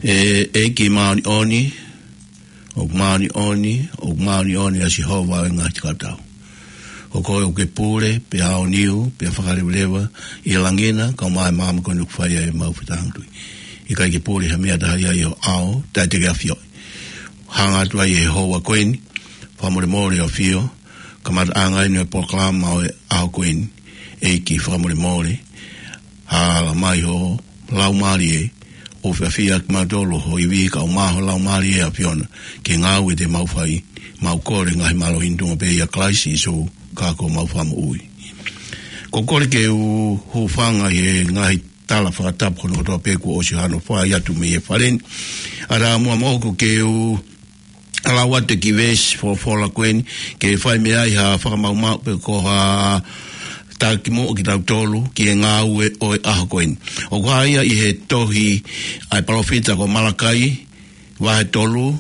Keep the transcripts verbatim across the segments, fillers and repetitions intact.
ʻE ʻEiki māʻoniʻoni, ʻoku māʻoniʻoni, ʻoku māʻoniʻoni ʻa Sihova ʻo e ngaahi kautau. Ko koe ʻoku ke pule, pea aoniu, pea fakaleveleva ʻi he langi na, kae ʻumaʻā e maama ko eni ʻoku fai ai ʻemau fetāngatui. ʻIkai ke pule ha meʻa taha ia ʻi ho ʻao, taʻe te ke ʻafioʻi. Hanga atu ai ʻi he houa ko eni, fakamolemole ʻAfio, kamataʻanga eni ʻo e polokalama ʻo e ʻaho ko eni, ʻEiki fakamolemole, hala mai ho Laumālie, ʻo fiefia kimautolu ho ivi kae ʻumaʻā ho Laumālie ʻAfiona, ke ngāue ʻi heʻemau fai, mau kole ngaahi mālohi ni ʻi he tuʻunga pē ʻia Kalaisi Sīsū, ko homau Fakamoʻui. Ko e kole ke u hūfanga ʻi he ngaahi tala fakatapu ko eni kotoa pē kuo ʻosi hano fai atu mei he fale ni. ʻA ia muʻa moʻoku ke u lau atu e kiʻi veesi folofola ko eni, ke fai mei ai ha fakamaumau pe ko ha taki moʻo kitautolu ki he ngāue ʻo e ʻaho ko eni. ʻOku hā ia ʻi he tohi ʻa e palōfita ko Malakai, vahe tolu,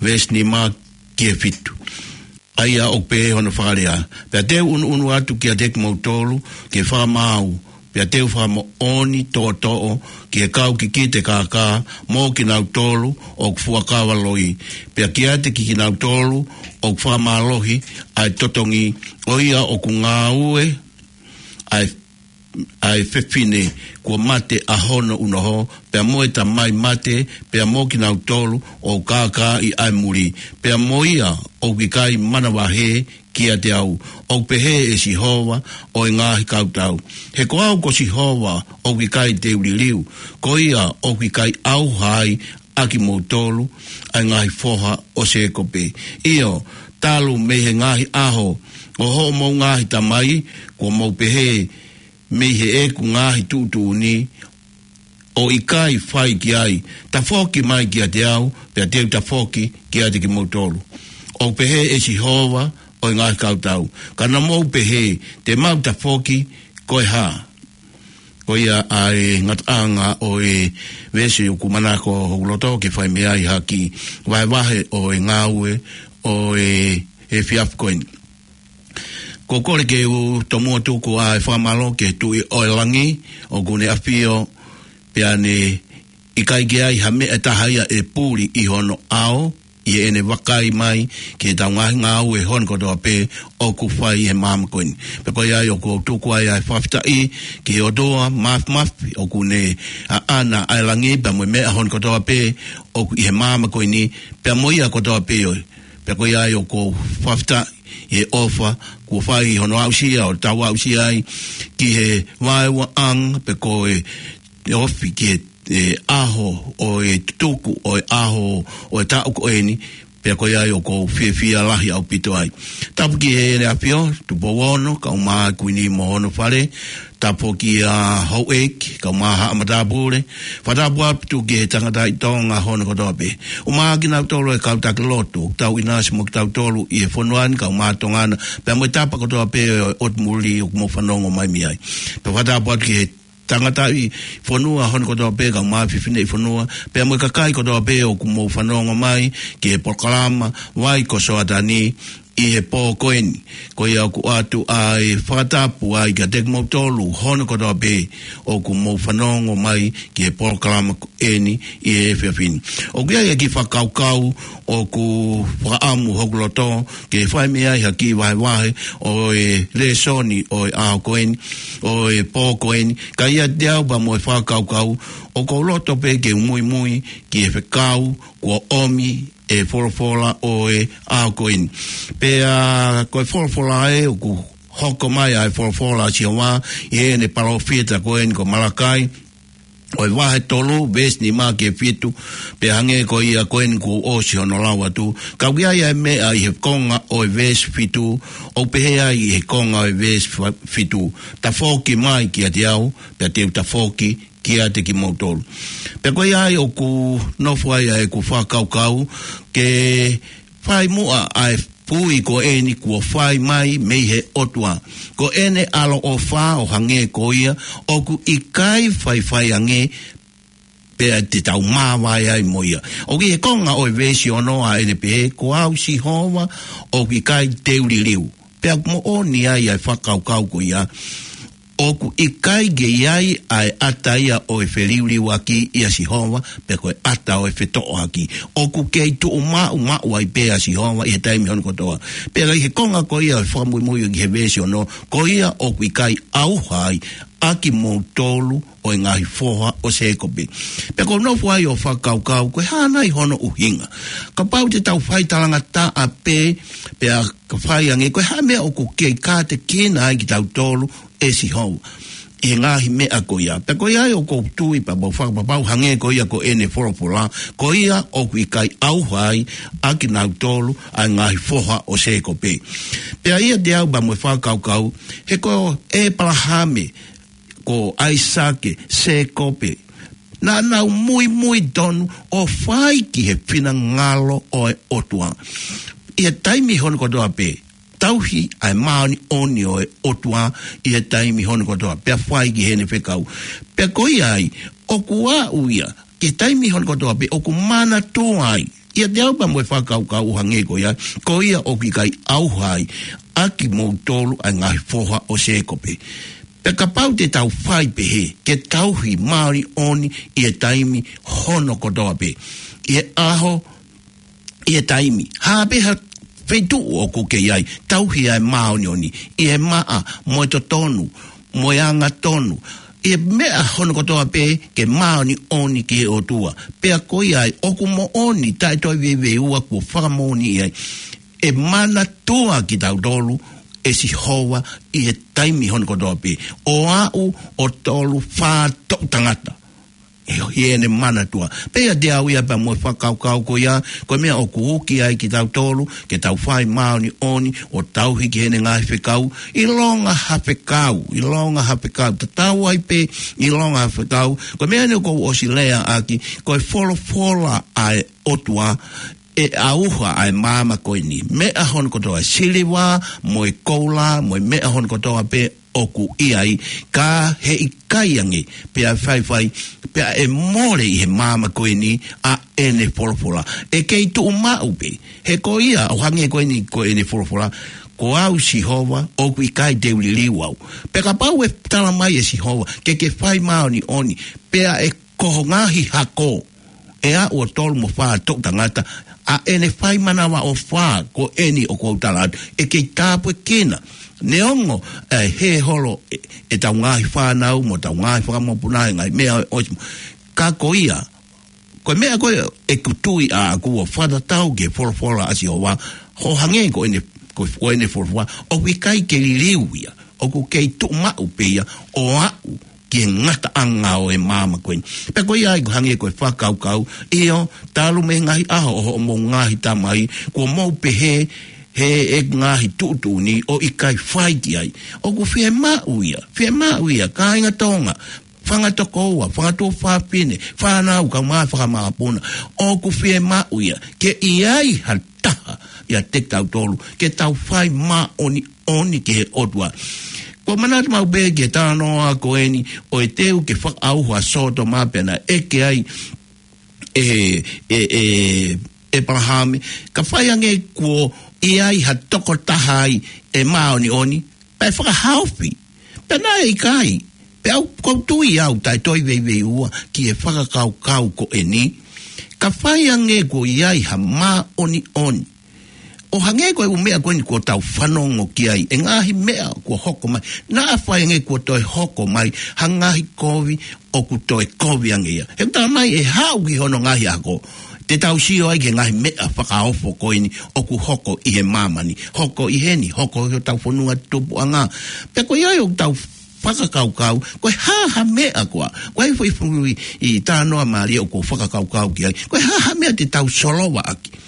veesi nima ki he fitu. ʻA ia ʻoku pehē hono fakalea: Pea te u ʻunuʻunu atu kiate kimoutolu ke fakamaau, pea te u fakamoʻoni toʻotoʻo ki he kau kikite kākā mo kinautolu ʻoku fuakava loi, pea kiate kinautolu ʻoku fakamālohi ʻa e totongi, ʻo ia ʻoku ngāue ʻa e, ʻa e fefine kuo mate ʻa hono unoho, pea mo e tamai mate, pea mo kinautolu ʻoku kākaaʻi ʻa e muli, pea mo ia ʻoku ʻikai manavahē kiate au, ʻoku pehē ʻe Sihova ʻo e ngaahi kautau. He ko au ko Sihova ʻoku ʻikai te u liliu, ko ia ʻoku ʻikai ʻauha ai ʻa kimoutolu, ʻa e ngaahi foha ʻo Sēkope. ʻIo, talu mei he ngaahi ʻaho ʻo hoʻomou ngaahi tamai, kuo mou pehē mei heʻeku ngaahi tuʻutuʻuni, ʻo ʻikai fai ki ai: Tafoki mai kiate au, pea te u tafoki kiate kimoutolu, ʻoku pehē ʻe Sihova ʻo e ngaahi kautau. Ka naʻa mou pehē, Te mau tafoki ko e hā? Ko ia ʻa e ngataʻanga ʻo e veesi ʻoku manako hoku loto ke fai mei ai ha kiʻi vahevahe ʻo e ngāue ʻo e efiafi ko eni. Ko e kole ke u tomuʻa tuku ʻa e fakamālō ki he Tuʻi ʻo e langi, ʻoku ne ʻafio, pea ne ʻikai ke ʻi ai ha meʻa ʻe taha ia ʻe puli ʻi hono ʻao, ʻi heʻene vakai mai ki heʻetau ngaahi ngāue hono kotoa pē ʻoku fai ʻi he maama ko eni. Pea ko ia ai ʻoku ou tuku ai ʻa e fakafetaʻi ki he ʻOtua Māfimafi, ʻoku ne ʻaʻana ʻa e langi pea mo e meʻa hono kotoa pē ʻoku ʻi he maama ko eni, pea mo ia kotoa pē ʻo e. Pea ko ia ai ʻoku ou fakafetaʻi ʻi he ʻofa kuo fai hono aʻusia, ʻo tau aʻusia ai ki he vaeuaʻanga pe ko e, e ofi ki he, e ʻaho ʻo e tutuku ʻo e ʻaho ʻo e taʻu ko eni. Pea ko ia ai ʻoku ou fiefia lahi ʻaupito ai. Tapu ki Heʻene ʻAfio, Tupou Ono, kae ʻumaʻā e Kuini mo hono fale, tapu ki he houʻeiki, kae ʻumaʻā haʻa matāpule, fakatapu atu ki he tangataʻi Tonga hono kotoa pē. ʻUmaʻā kinautolu e kau taki lotu, tau ʻinasi mo kitautolu ʻi he fonua ni, kae ʻumaʻā Tonga na, pea mo e tapa kotoa pē ʻo e ʻotu muli ʻoku mou fanongo mai mei ai. Pea fakatapu atu ki he tangataʻi fonua hono kotoa pē, kae ʻumaʻā e fefineʻi fonua, pea mo e kakai kotoa pē ʻoku mou fanongo mai ki he polokalama Vai ko Soatani ʻi he pō ko eni. Ko ia ʻoku ʻoatu ʻa e fakatapu ai kiate kimoutolu hono kotoa pē ʻoku mou fanongo mai ki he polokalama ko eni ʻi he efiafi ni. ʻOku ʻi ai e kiʻi fakakaukau ʻoku fakaʻamu hoku loto ke fai mei ai ha kiʻi vahevahe ʻo e lēsoni ʻo e ʻaho ko eni, ʻo e pō ko eni. Ka ʻiate au pea mo e fakakaukau, ʻoku ou loto pē ke u muimui ki he fekau kuo ʻomi ʻe he folofola ʻo e ʻaho ko eni. Pea ko e folofola ē ʻoku hoko mai ʻa e folofola ʻa Sihova ʻi heʻene palōfita ko eni ko Malakai, ʻo e vahe tolu, veesi nima ki he fitu, pea hangē ko ia ko eni kuo u ʻosi hono lau atu. Ka ʻoku ʻi ai ʻa e meʻa ʻi he konga ʻo e veesi fitu, ʻoku pehē ai ʻi he konga ʻo e veesi fa-, fitu: Tafoki mai kiate au, pea te u tafoki kiate kimoutolu. Pea ko ia ai ʻoku nofo ai ʻa ʻeku fakakaukau ke fai muʻa ʻa e pui ko eni kuo fai mai mei he ʻOtua. Ko ʻene ʻaloʻofa ʻo hangē ko ia, ʻoku ʻikai faifai ange pea te tau māvae ai mo ia. ʻOku ʻi he konga ʻo e veesi ono ʻa ʻene pehē, Ko au Sihova ʻoku ʻikai te u liliu. Pea ʻoku moʻoni ai ʻa e fakakaukau ko ia. ʻOku ʻikai ke ʻi ai ʻa e ʻata ia ʻo e feliuliuaki ʻia Sihova, pe ko e ʻata ʻo e fetoʻoaki. ʻOku kei tuʻu maʻumaʻu ai pē ʻa Sihova ʻi he taimi hono kotoa. Pea ʻi he konga ko ia ʻo e fakamuimui ki he veesi ono, ko ia ʻoku ʻikai ʻauha ai ʻa kimoutolu ʻo e ngaahi foha ʻo Sēkope. Pea ʻoku ou nofo ai ʻo fakakaukau, ko e hā nai hono ʻuhinga? Kapau te tau fai talangataʻa pē, pea ka fai ange, ko e hā e meʻa ʻoku kei kātekina ai kitautolu ʻe Sihova ʻi he ngaahi meʻa ko ia? Pea ko ia ai ʻoku ou tui pea mo fakapapau hangē ko ia ko ʻene folofola, ko ia ʻoku ʻikai ʻauha ai ʻa kinautolu ʻa e ngaahi foha ʻo Sēkope. Pea ʻiate au pea mo e fakakaukau, he ko ʻĒpalahame, ko ʻAisake, Sēkope, naʻa nau muimui tonu ʻo fai ki he finangalo ʻo e ʻOtua ʻi he taimi hono kotoa pē. Tauhi ʻa e māʻoniʻoni ʻo e ʻOtua ʻi he taimi hono kotoa pē, pea fai ki heʻene fekau. Pea ko ia ai, ʻoku aʻu ia ki he taimi hono kotoa pē ʻoku manatua ai, ʻiate au pea mo e fakakaukau ʻo hangē ko ia, ko ia ʻoku ʻikai ʻauha ai ʻa kimoutolu ʻa e ngaahi foha ʻo Sēkope. Pea kapau te tau fai pehē, ke tauhi māʻoniʻoni ʻi he taimi hono kotoa pē, ʻi he ʻaho, ʻi he taimi, hā pē ha feituʻu ʻoku ke ʻi ai, tauhi ʻa e māʻoniʻoni ʻi he maʻa mo e totonu mo e angatonu, ʻi he meʻa hono kotoa pē ke māʻoniʻoni ki he ʻOtua. Pea ko ia ai, ʻoku moʻoni, taʻe toe veiveiua, kuo fakamoʻoni ai, ʻe manatua kitautolu ʻe Sihova ʻi he taimi hono kotoa pē, ʻo aʻu ʻo tolu fā toʻu tangata ʻi heʻene manatua. Pea ʻiate au ia pea mo e fakakaukau ko ia, ko e meʻa ʻoku uki ai kitautolu ke tau fai māʻoniʻoni ʻo tauhi ki heʻene ngaahi fekau, ʻilonga ha fekau, ʻilonga ha fekau, tatau ai pē ʻilonga ha fekau. Ko e meʻa eni ʻoku ou ʻosi lea ʻaki, ko e folofola ʻa e ʻOtua, ʻe ʻauha ʻa e maama ko eni. Meʻa hono kotoa, siliva mo e koula mo e meʻa hono kotoa pē ʻoku ʻi ai, ka heʻikai ange pea faifai, pea ʻe mole ʻi he maama ko eni ʻa ʻene folofola. ʻE kei tuʻu maʻu pē, he ko ia ʻo hangē ko eni ko ʻene folofola, ko au Sihova, ʻoku ʻikai te u liliu au. Pea kapau ʻe tala mai ʻe Sihova ke ke fai māʻoniʻoni, pea ʻe ko ho ngaahi hako ʻe aʻu ʻo tolu mo fā toʻu tangata, ʻa ʻene fai manavaʻofa ko eni ʻoku ou tala atu, ʻe kei tāpuekina. Neongo ʻe hē holo ʻe, ʻetau ngaahi fānau mo ʻetau ngaahi fakamokopuna he ngaahi meʻa ʻosi, ka ko ia, ko e meʻa ko ē ʻeku tui ʻaʻaku ʻo fakatatau ki he folofola ʻa Sihova, ʻo hangē ko ʻene, ko, ko ʻene folofola, ʻoku ʻikai ke liliu ia, ʻoku kei tuʻu maʻu pē ia ʻo aʻu ki he ngataʻanga ʻo e maama ko eni. Pea ko ia ai ʻoku hangē ko e fakakaukau, ʻio, talu mei he ngaahi ʻaho ʻo hoʻomou ngaahi tamai, kuo mou pehē, he ʻe ngaahi tuʻutuʻuni ʻo ʻikai fai ki ai. ʻOku fiemaʻu ia, fiemaʻu ia, kāinga Tonga, fanga tokoua, fanga tuofāfine, fānau, kaungā fakamakapuna, ʻoku fiemaʻu ia ke ʻi ai ha taha ʻiate kitautolu ke tau fai māʻoniʻoni ki he ʻOtua. Ko e manatu maʻu pē ki he talanoa ko eni ʻo e teu ke fakaʻauha ʻa Sōtoma pea naʻe ʻeke ai ʻe, ʻe, ʻe, ʻĒpalahame, ka fai ange kuo ʻi ai ha tokotaha ai ʻe māʻoniʻoni, pea ʻe fakahaofi. Pea naʻe ʻikai. Pea ʻoku ou tui au taʻe toe veiveiua ki he fakakaukau ko eni, ka fai ange kuo ʻi ai ha māʻoniʻoni. ʻO hangē ko e ʻū meʻa ko eni kuo tau fanongo ki ai, ʻa e ngaahi meʻa kuo hoko mai, naʻa fai ange kuo toe hoko mai ha ngaahi kovi, ʻoku toe kovi ange ia. He ʻoku tala mai ʻe haʻu ki hono ngaahi ako, te tau sio ai ki he ngaahi meʻa fakaofo ko eni ʻoku hoko ʻi he māmani, hoko ʻi heni, hoko ʻi hotau fonua tupuʻanga. Pea ko ia ai ʻoku tau fakakaukau, ko e hā ha meʻa koā, ko e fuifui ʻi talanoa mālie ʻoku ou fakakaukau ki ai, ko e hā ha meʻa te tau solova ʻaki.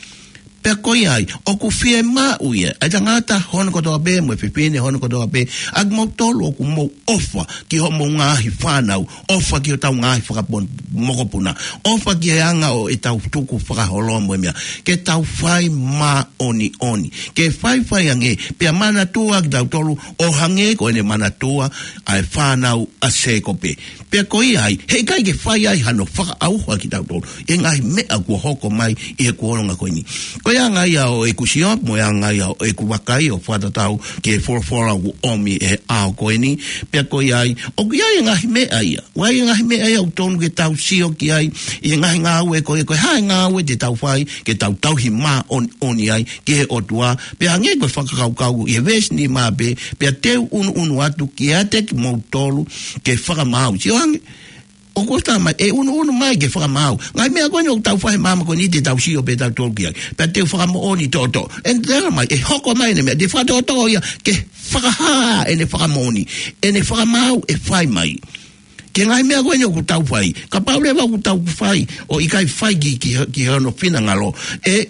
Pea ko ia ai, ʻoku fiemaʻu ia, ʻa e tangata hono kotoa pē, mo e fefine hono kotoa pē, ʻa kimoutolu ʻoku mou ʻofa ki hoʻomou ngaahi fānau, ʻofa ki hotau ngaahi fakamokopuna, ʻofa ki he anga ʻo ʻetau tukufakaholo mo e meʻa, ke tau fai māʻoniʻoni, ke faifai ange, pea manatua kitautolu, ʻo hangē ko ʻene manatua ʻa e fānau ʻa Sēkope. Pea ko ia ai, heʻikai ke fai ai hano fakaʻauha kitautolu ʻi he ngaahi meʻa kuo hoko mai ʻi he kuonga ko eni. Ko ʻE anga ia ʻo ʻeku sio, mo e anga ia ʻo ʻeku vakai ʻo fakatatau ki he folofola ʻoku ʻomi ʻe he ʻaho ko eni, pea ko ia ai, ʻoku ʻi ai e ngaahi meʻa ia. ʻOku ʻi ai e ngaahi meʻa ia ʻoku tonu ke tau sio ki ai, ʻi he ngaahi ngāue ko ia, ko e hā e ngāue te tau fai, ke tau tauhi māʻoniʻoni ai, ki he ʻOtua, pea hangē ko e fakakaukau, ʻi he veesi nima pē, pea te u ʻunuʻunu atu kiate kimoutolu, ke fakamaau. Sio ange, ʻoku ʻosi talamai, ʻe ʻunuʻunu mai ke fakamaau. Ngaahi meʻa ko eni ʻoku tau fai he māmani ko eni te tau sio pē tautolu ki ai. Pea te u fakamoʻoni toʻotoʻo. ʻE talamai, ʻe hoko mai ʻene meʻa, te fakatoʻotoʻo ia, ke fakahā ʻene fakamoʻoni. ʻEne fakamaau ʻe fai mai. Ki he ngaahi meʻa ko eni ʻoku tau fai. Kapau leva ʻoku tau fai, ʻo ʻikai fai ki, ki, ki hono finangalo. ʻE,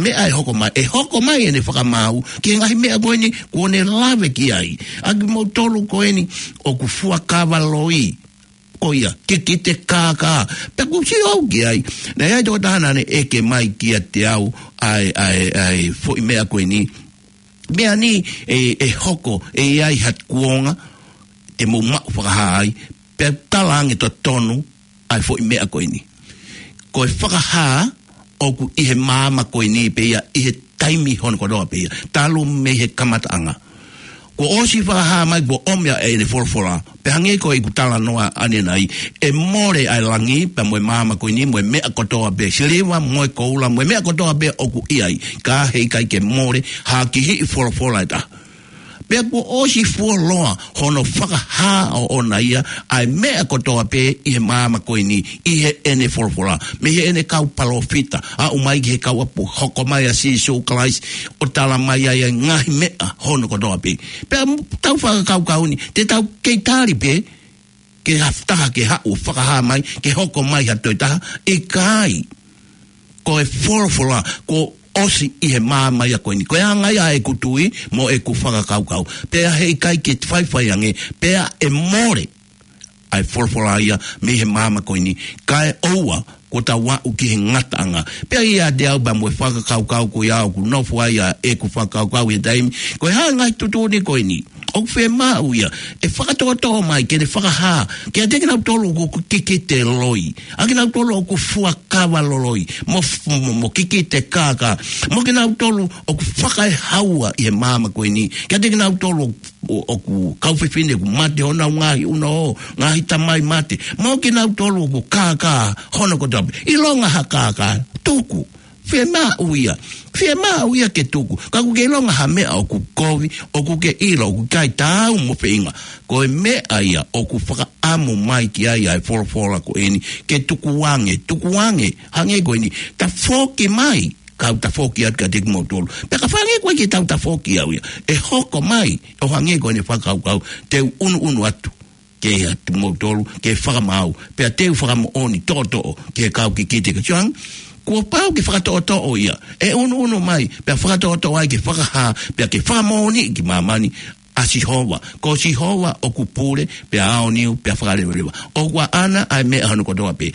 meʻa ʻe hoko mai, ʻe hoko mai ʻene fakamaau. Ki he ngaahi meʻa ko eni, kuo ne lave ki ai. ʻA kimoutolu ko eni, ʻoku fuakava loi. Ko ia, kikite kākā. Pea ʻoku ou sio au ki ai. Naʻe ʻi ai e tokotaha naʻa ne ʻeke mai kiate au, ʻa e, ʻa e, ʻa e, foʻi meʻa ko eni. Meʻa ni, ʻe, ʻe hoko, ʻe ʻi ai ha kuonga, te mou maʻu fakahā ai, pea tala ange totonu, ʻa e foʻi meʻa ko eni. Ko e fakahā, ʻoku ʻi he māmani ko eni pē ia, ʻi he taimi hono kotoa pē ia. Talu mei he kamataʻanga. Kuo ʻosi fakahā mai, kuo ʻomi ʻa ʻene folofola. Pea hangē ko ʻeku talanoa ʻanenai, ʻe mole ʻa e langi, pea mo e māmani ko eni, mo e meʻa kotoa pē, siliva, mo e koula, mo e meʻa kotoa pē ʻoku ʻi ai. Ka heʻikai ke mole, ha kihiʻi folofola ʻe taha. Pea kuo ʻosi fuoloa, hono fakahā ʻoʻona ia, ʻa e meʻa kotoa pē ʻi he māmani ko eni, ʻi heʻene folofola, mei heʻene kau palōfita, aʻu mai ki he kau ʻapi, hoko mai ʻa Sīsū Kalaisi, ʻo talamai ai ʻa e ngaahi meʻa hono kotoa pē. Pea m-, tau fakakaukau ni, te tau kei tali pē, ke ha taha ke haʻu ʻo fakahā mai, ke hoko mai ha toe taha, ʻikai. Ko e folofola, kuo ʻosi ʻi he māmani ia ko eni. Ko e anga ia ʻeku tui, mo ʻeku fakakaukau. Pea heʻikai ke faifai ange, pea ʻe mole ʻa e folofola ia mei he māmani ko eni. Kae ʻoua, kuo tau aʻu ki he ngataʻanga. Pea ʻiate au pea mo e fakakaukau ko ia ʻoku nofo ai ʻa ʻeku fakakaukau he taimi. Ko e hā e ngaahi tuʻutuʻuni ko eni. ʻOku fiemaʻu ia, ʻe fakatoʻotoʻo mai, ke ne fakahā, kiate kinautolu ʻoku kikite loi. ʻA kinautolu ʻoku fuakava loloi, mo f-, mo, mo kikite kākā. Mo kinautolu ʻoku fakaehaua ʻi he māmani ko eni. Kiate kinautolu ʻo, ʻoku kau fefine ʻoku mate honau ngaahi ʻunoʻo, ngaahi tamai mate. Mo kinautolu ʻoku kākā hono kotoa pē. ʻIlonga ha kākā, tuku. Fiemaʻu ia. Fiemaʻu ia ke tuku. Ka ʻoku ke ʻilonga ha meʻa ʻoku kovi, ʻoku ke ʻilo, ʻoku ʻikai taau mo feinga. Ko e meʻa ia ʻoku fakaʻamu mai ki ai ʻa e folofola ko eni. Ke tukuange, tukuange, hangē ko eni. Tafoki mai. Kau tafoki atu kiate kimoutolu. Pea ka fai ange koe ke tau tafoki au ia. ʻE hoko mai, ʻo hangē ko ʻene fakakaukau, te u ʻunuʻunu atu. Kiate kimoutolu, ke fakamaau, pea te u fakamoʻoni toʻotoʻo, ki he kau kikite ke tiang, kuo pau ke fakatoʻotoʻo ia, ʻe ʻunuʻunu mai, pea fakatoʻotoʻo ai ke fakahā, pea ke fakamoʻoni ki māmani, ʻa Sihova, ko Sihova ʻoku pule, pea aoniu, pea fakalevaleva. ʻOku ʻaʻana ʻa e meʻa hono kotoa pē.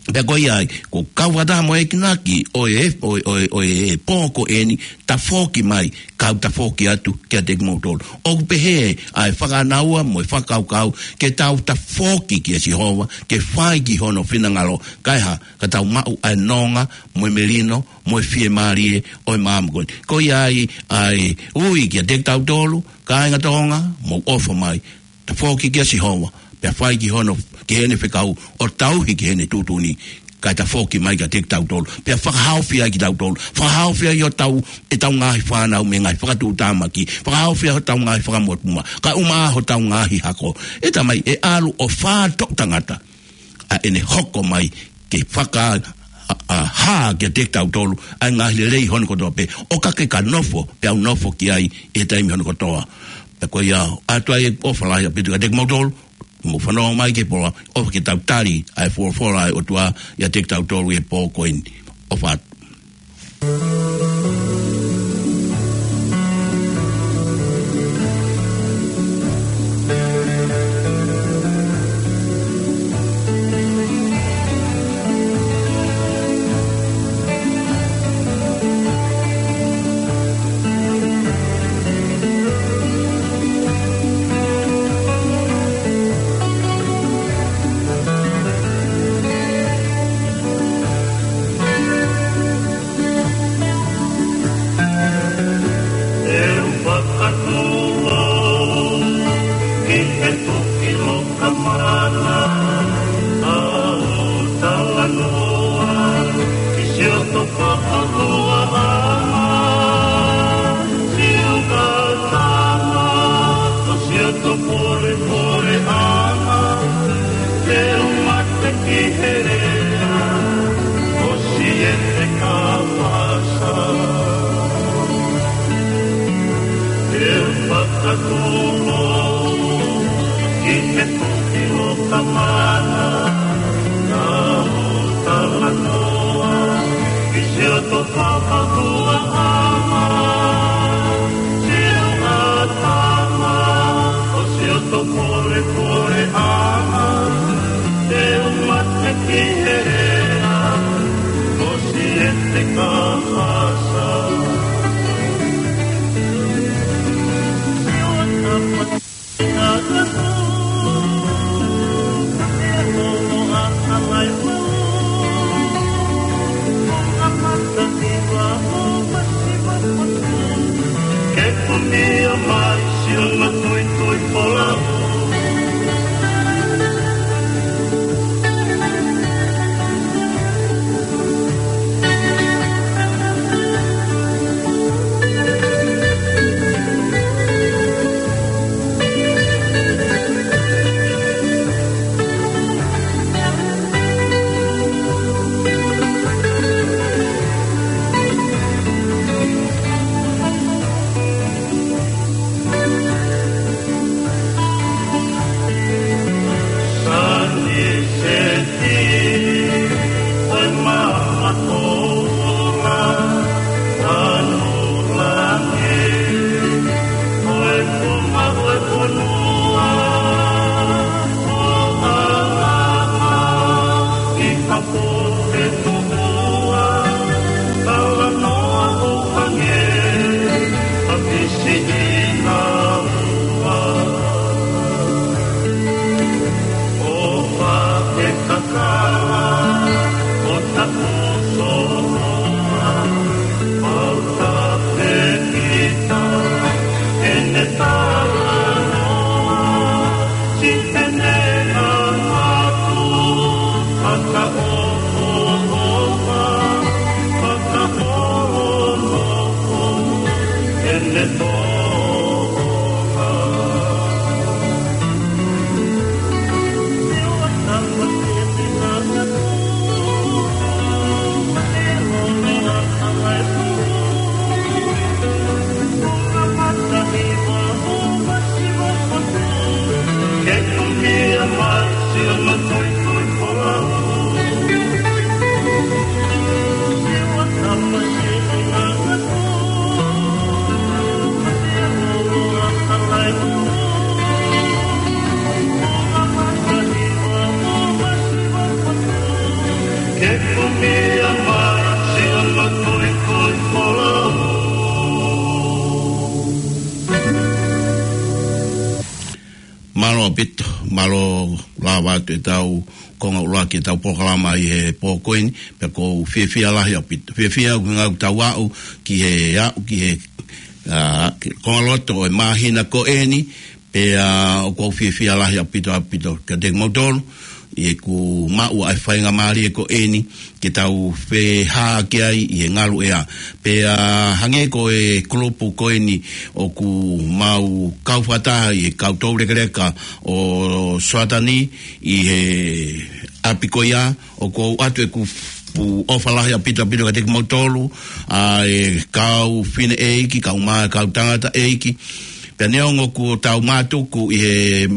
Pea ko ia ai, ko kau fakataha mo e kinaki, ʻo e, ʻo e, ʻo e, ʻo e pō ko eni, tafoki mai, kau tafoki atu, kiate kimoutolu. ʻOku pehē, ʻa e fakanaua mo e fakakaukau, ke tau tafoki kia Sihova, ke fai ki hono finangalo, kae hā, ka tau maʻu ʻa e nonga, mo e melino, mo e fiemālie, ʻo e māmani ko eni. Ko ia ai, ʻa e ui kiate kitautolu, kāinga Tonga, mou ʻofa mai, tafoki kia Sihova, pea fai ki hono, ki heʻene fekau, ʻo tauhi ki heʻene tuʻutuʻuni, kae tafoki mai kiate kitautolu, pea fakahaofi ai kitautolu, fakahaofi ai hotau, ʻetau ngaahi fānau mei he ngaahi fakatuʻutāmaki, fakahaofi ai hotau ngaahi fakamuʻomuʻa, kae ʻumaʻā hotau ngaahi hako. ʻE Tamai, ʻe ʻalu ʻo fā toʻu tangata, ʻa ʻene hoko mai ke faka-, ʻa, ʻa, hā kiate kitautolu, ʻa e ngaahi lelei hono kotoa pē, ʻo ka ke ka nofo, pea u nofo ki ai, ʻi he taimi hono kotoa. Pea ko ia, ʻoatu ai e ʻofa lahi ʻaupito kiate kimoutolu, mou fanongo mai ki he pō, ʻofa ke tau tali, ʻa e folofola ʻa e ʻOtua, ʻiate kitautolu ʻi he pō ko eni. ʻOfa atu. Ke tuki loka mana, ʻa ʻoku talanoa ki siʻoto papahua ʻana, siʻoto tama, ko siʻoto polepole ʻana, te u mate ki he lea, ko siʻete ka pasa. Te u fakatūlou ki he tuki loka mana, ʻa ʻoku talanoa ki siʻoto papahua ʻana, siʻoto tama, ko siʻoto polepole ʻana, te u mate ki he lea, ko siʻete ka pasa. Ke kumia mai siʻono tuitui folau. Ke kumia mai siʻono tuitui folau. Mālō ʻaupito, mālō lava atu ʻetau konga ʻuluaki ʻetau polokalama ʻi he pō ko eni, pea ʻoku ou fiefia lahi ʻaupito. Fiefia ʻoku ngāue ʻoku tau aʻu ki he aʻu, ki he, ā, ki he konga loto ʻo e māhina ko eni, pea ʻoku ou fiefia lahi ʻaupito, ʻaupito kiate kimoutolu, ʻi heʻeku maʻu ʻa e faingamālie ko eni, ke tau feʻiloaki ai ʻi he ngaluʻea. Pea hangē ko e kulupu ko eni ʻoku mau kau fakataha ʻi he kau toulekeleka ʻo Soatani ʻi he ʻapi ko ia, ʻoku ou ʻoatu ʻeku ʻofa lahi ʻaupito ʻaupito kiate kimoutolu, ʻa e kau fineʻeiki, kau mā, kau tangataʻeiki. Pea neongo kuo tau mātuku ʻi he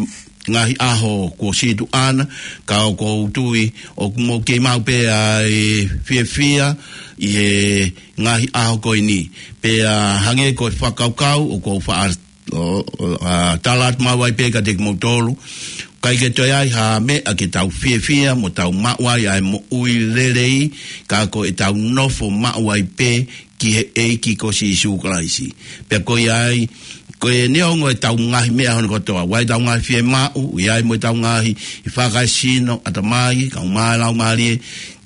ngaahi ʻaho kuo situʻa na, ka ʻoku ou tui ʻoku mou kei maʻu pē ʻa e fiefia ʻi he ngaahi ʻaho ko eni. Pea hangē ko e fakakaukau ʻoku ou faʻa, ʻo, ʻo, ʻa, tala atu maʻu ai pē kiate kimoutolu, ʻikai ke toe ʻi ai ha meʻa ke tau fiefia mo tau maʻu ai ʻa e moʻui lelei, ka ko ʻetau nofo maʻu ai pē ki he ʻEiki ko Sīsū Kalaisi. Pea ko ia ai, ko e neongo ʻetau ngaahi meʻa hono kotoa, ʻoku ʻi ai ʻetau ngaahi fiemaʻu, ʻi ai mo ʻetau ngaahi fakaesino, ʻatamai, kae ʻumaʻā e laumālie,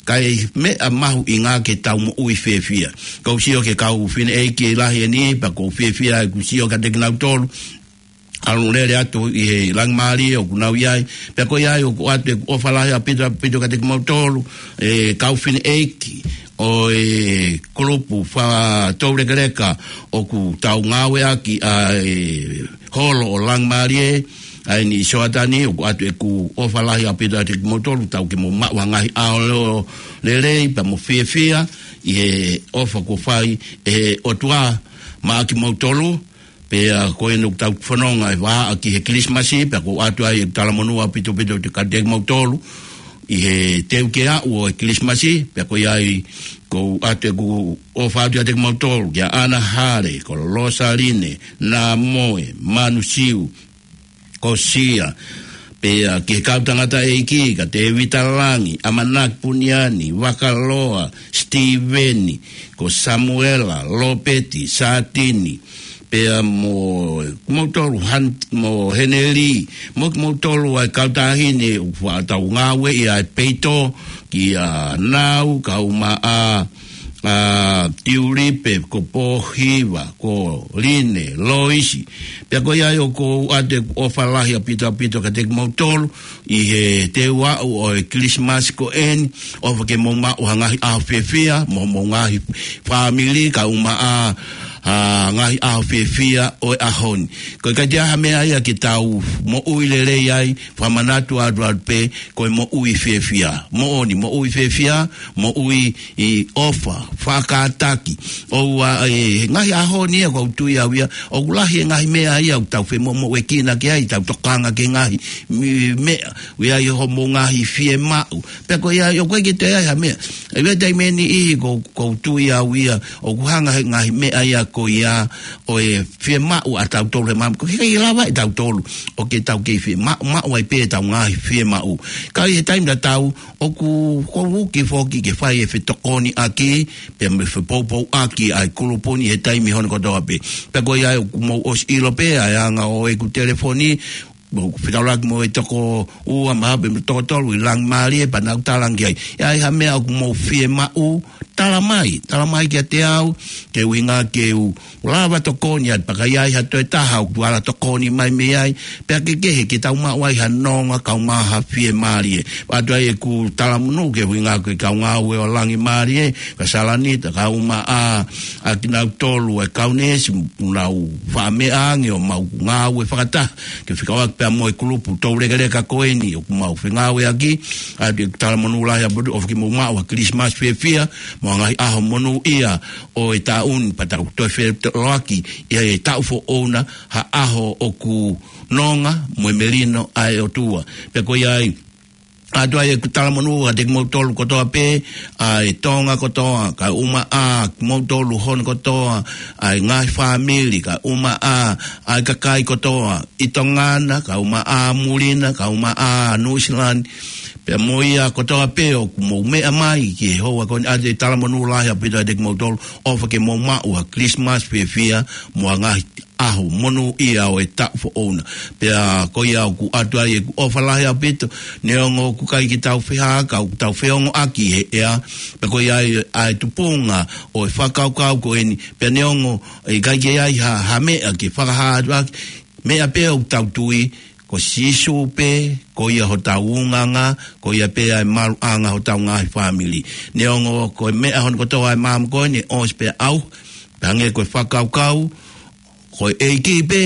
ka ʻi ai e meʻa mahuʻinga ke tau moʻui fiefia. ʻOku ou sio ki he kau fineʻeiki lahi eni, pea ʻoku ou fiefia ʻeku sio kiate kinautolu. ʻalu lele atu ʻi he langi mālie ʻoku nau ʻi ai. Pea ko ia ai ʻoku ʻoatu ʻeku ʻofa lahi ʻaupito, ʻaupito kiate kimoutolu, ʻe kau fineʻeiki ʻo e kulupu fakatoulekeleka ʻoku tau ngāueʻaki ʻa e holo ʻo langi mālie, ʻa eni ʻi Soatani, ʻoku ʻoatu ʻeku ʻofa lahi ʻaupito kiate kimoutolu, tau ke mou maʻu ha ngaahi ʻaho lelei, pea mo fiefia, ʻi he ʻofa kuo fai ʻe he ʻOtua maʻa kimoutolu. Pea ko eni ʻoku tau fononga ʻi he vahaʻa ki he Kilisimasi, pea ʻoku ʻoatu ai ʻeku talamonū ʻaupito ʻaupito kiate kimoutolu, ʻi he teu ke aʻu ʻo e Kilisimasi, pea ko ia ai ʻoku ʻoatu ʻeku ʻofa atu kiate kimoutolu, kia ʻAna Hale, ko Losaline, Namoe, Manusiu, ko Sia, pea ki he kau tangataʻeiki, ka Tevita Langi, ʻAmanaki Puniani, Vakaloa, Sitīveni, ko Samuela, Lopeti, Satini, pea mo kimoutolu Han-, mo Heneli, mo kimoutolu ʻa e kau taʻahine ʻoku faʻa tau ngāueʻi ʻa e peito, kia Nau, kau maʻa, ʻa Tiulipe, ko Pōhiva, ko Line, Loisi. Pea ko ia ai ʻoku ʻoatu ʻeku ʻofa lahi ʻaupito ʻaupito kiate kimoutolu, ʻi he teu aʻu ʻo e Kilisimasi ko eni, ʻofa ke mou maʻu ha ngaahi ʻaho fiefia, mo homou ngaahi fāmili, kau maʻa, ʻa e ngaahi ʻaho fiefia ʻo e ʻaho ni. Ko e ʻikai ke ʻi ai ha meʻa ia ke tau moʻui lelei ai, fakamanatu atu atu pē, ko e moʻui fiefia. Moʻoni, moʻui fiefia, moʻui ʻi ʻofa, fakataki. ʻOua, ʻe, he ngaahi ʻaho ni ia ʻoku ou tui au ia, ʻoku lahi e ngaahi meʻa ia ʻoku tau femoʻuekina ki ai, tau tokanga ki he ngaahi mi-, meʻa, ʻoku ʻi ai homou ngaahi fiemaʻu. Pea ko ia, ʻoku ʻikai ke toe ʻi ai ha meʻa. ʻI he taimi ni ʻoku, ʻoku ou tui au ia, ʻoku hanga he ngaahi meʻa ia ko ia, ʻo e fiemaʻu ʻa tautolu he māmani, ʻoku ʻikai lava ʻe tautolu ʻo ke tau kei fiemaʻu, maʻu ai pē ʻetau ngaahi fiemaʻu. Ka ʻi he taimi tatau, ʻoku ou uki foki ke fai e fetokoniʻaki, pea mo e fepoupouʻaki ʻa e kulupu ni he taimi hono kotoa pē. Pea ko ia ai ʻoku mou ʻosi ʻilo pē ʻa e anga ʻo ʻeku telefoni, ʻoku fetaulaki mo e toko ua mahape mo e toko tolu ʻi langi mālie, pea nau talaange ai, ʻi ai ha meʻa ʻoku mou fiemaʻu, tala mai, tala mai kiate au, ke ʻuhinga ke u lava tokoni atu, pea ka ʻi ai ha toe taha ʻoku ala tokoni mai mei ai, pea kehekehe ke tau maʻu ai ha nonga kau maʻa ha fiemālie. ʻOatu ai ʻeku talamonū ki he ʻuhinga ko e kau ngāue ʻo langi mālie, ka Salanita, kau maʻa, ʻa kinautolu e kau neesi, ʻoku nau faʻa meʻa ange ʻo mau ngāue fakataha, ke fekauʻaki pea mo e kulupu toulekeleka ko eni ʻoku mau fengāueʻaki, ʻoatu ʻeku talamonū lahi ʻaupito, ʻofa ke mou maʻu ha Kilisimasi fiefia, mo e ngaahi ʻaho monūʻia ʻo e taʻu ni, pea tau toe feʻiloaki ʻi he taʻu foʻou na, ha ʻaho ʻoku nonga mo e melino ʻa e ʻOtua. Pea ko ia ai, ʻoatu ai ʻeku talamonū kiate kimoutolu kotoa pē, ʻa e Tonga kotoa, kae ʻumaʻā kimoutolu hono kotoa, ʻa e ngaahi fāmili, kae ʻumaʻā ʻa e kakai kotoa ʻi Tonga na, kae ʻumaʻā muli na, kae ʻumaʻā Nuʻusila ni, pea mo ia kotoa pē ʻoku mou meʻa mai ki he houa ko eni, ʻoatu e talamonū lahi ʻaupito kiate kimoutolu, ʻofa ke mou maʻu ha Kilisimasi fiefia, mo e ngaahi ʻaho monūʻia ʻo e taʻu foʻou na. Pea ko ia ʻoku ʻoatu ai ʻeku ʻofa lahi ʻaupito, neongo ʻoku ʻikai ke tau fehākau, ʻoku tau feongoʻaki he ʻea, pea ko ia ai ʻa e tupunga ʻo e fakakaukau ko eni, pea neongo ʻe ʻikai ke ʻi ai ha, ha meʻa ke fakahā atu ʻaki, meʻa pē ʻoku tau tui, ko Sīsū pē, ko ia hotau unganga, ko ia pē ʻa e maluʻanga hotau ngaahi fāmili. Neongo ko e meʻa hono kotoa ʻa e māmani ko eni ʻosi pē ʻauha, pea hangē ko e fakakaukau, ko e ʻEiki pē,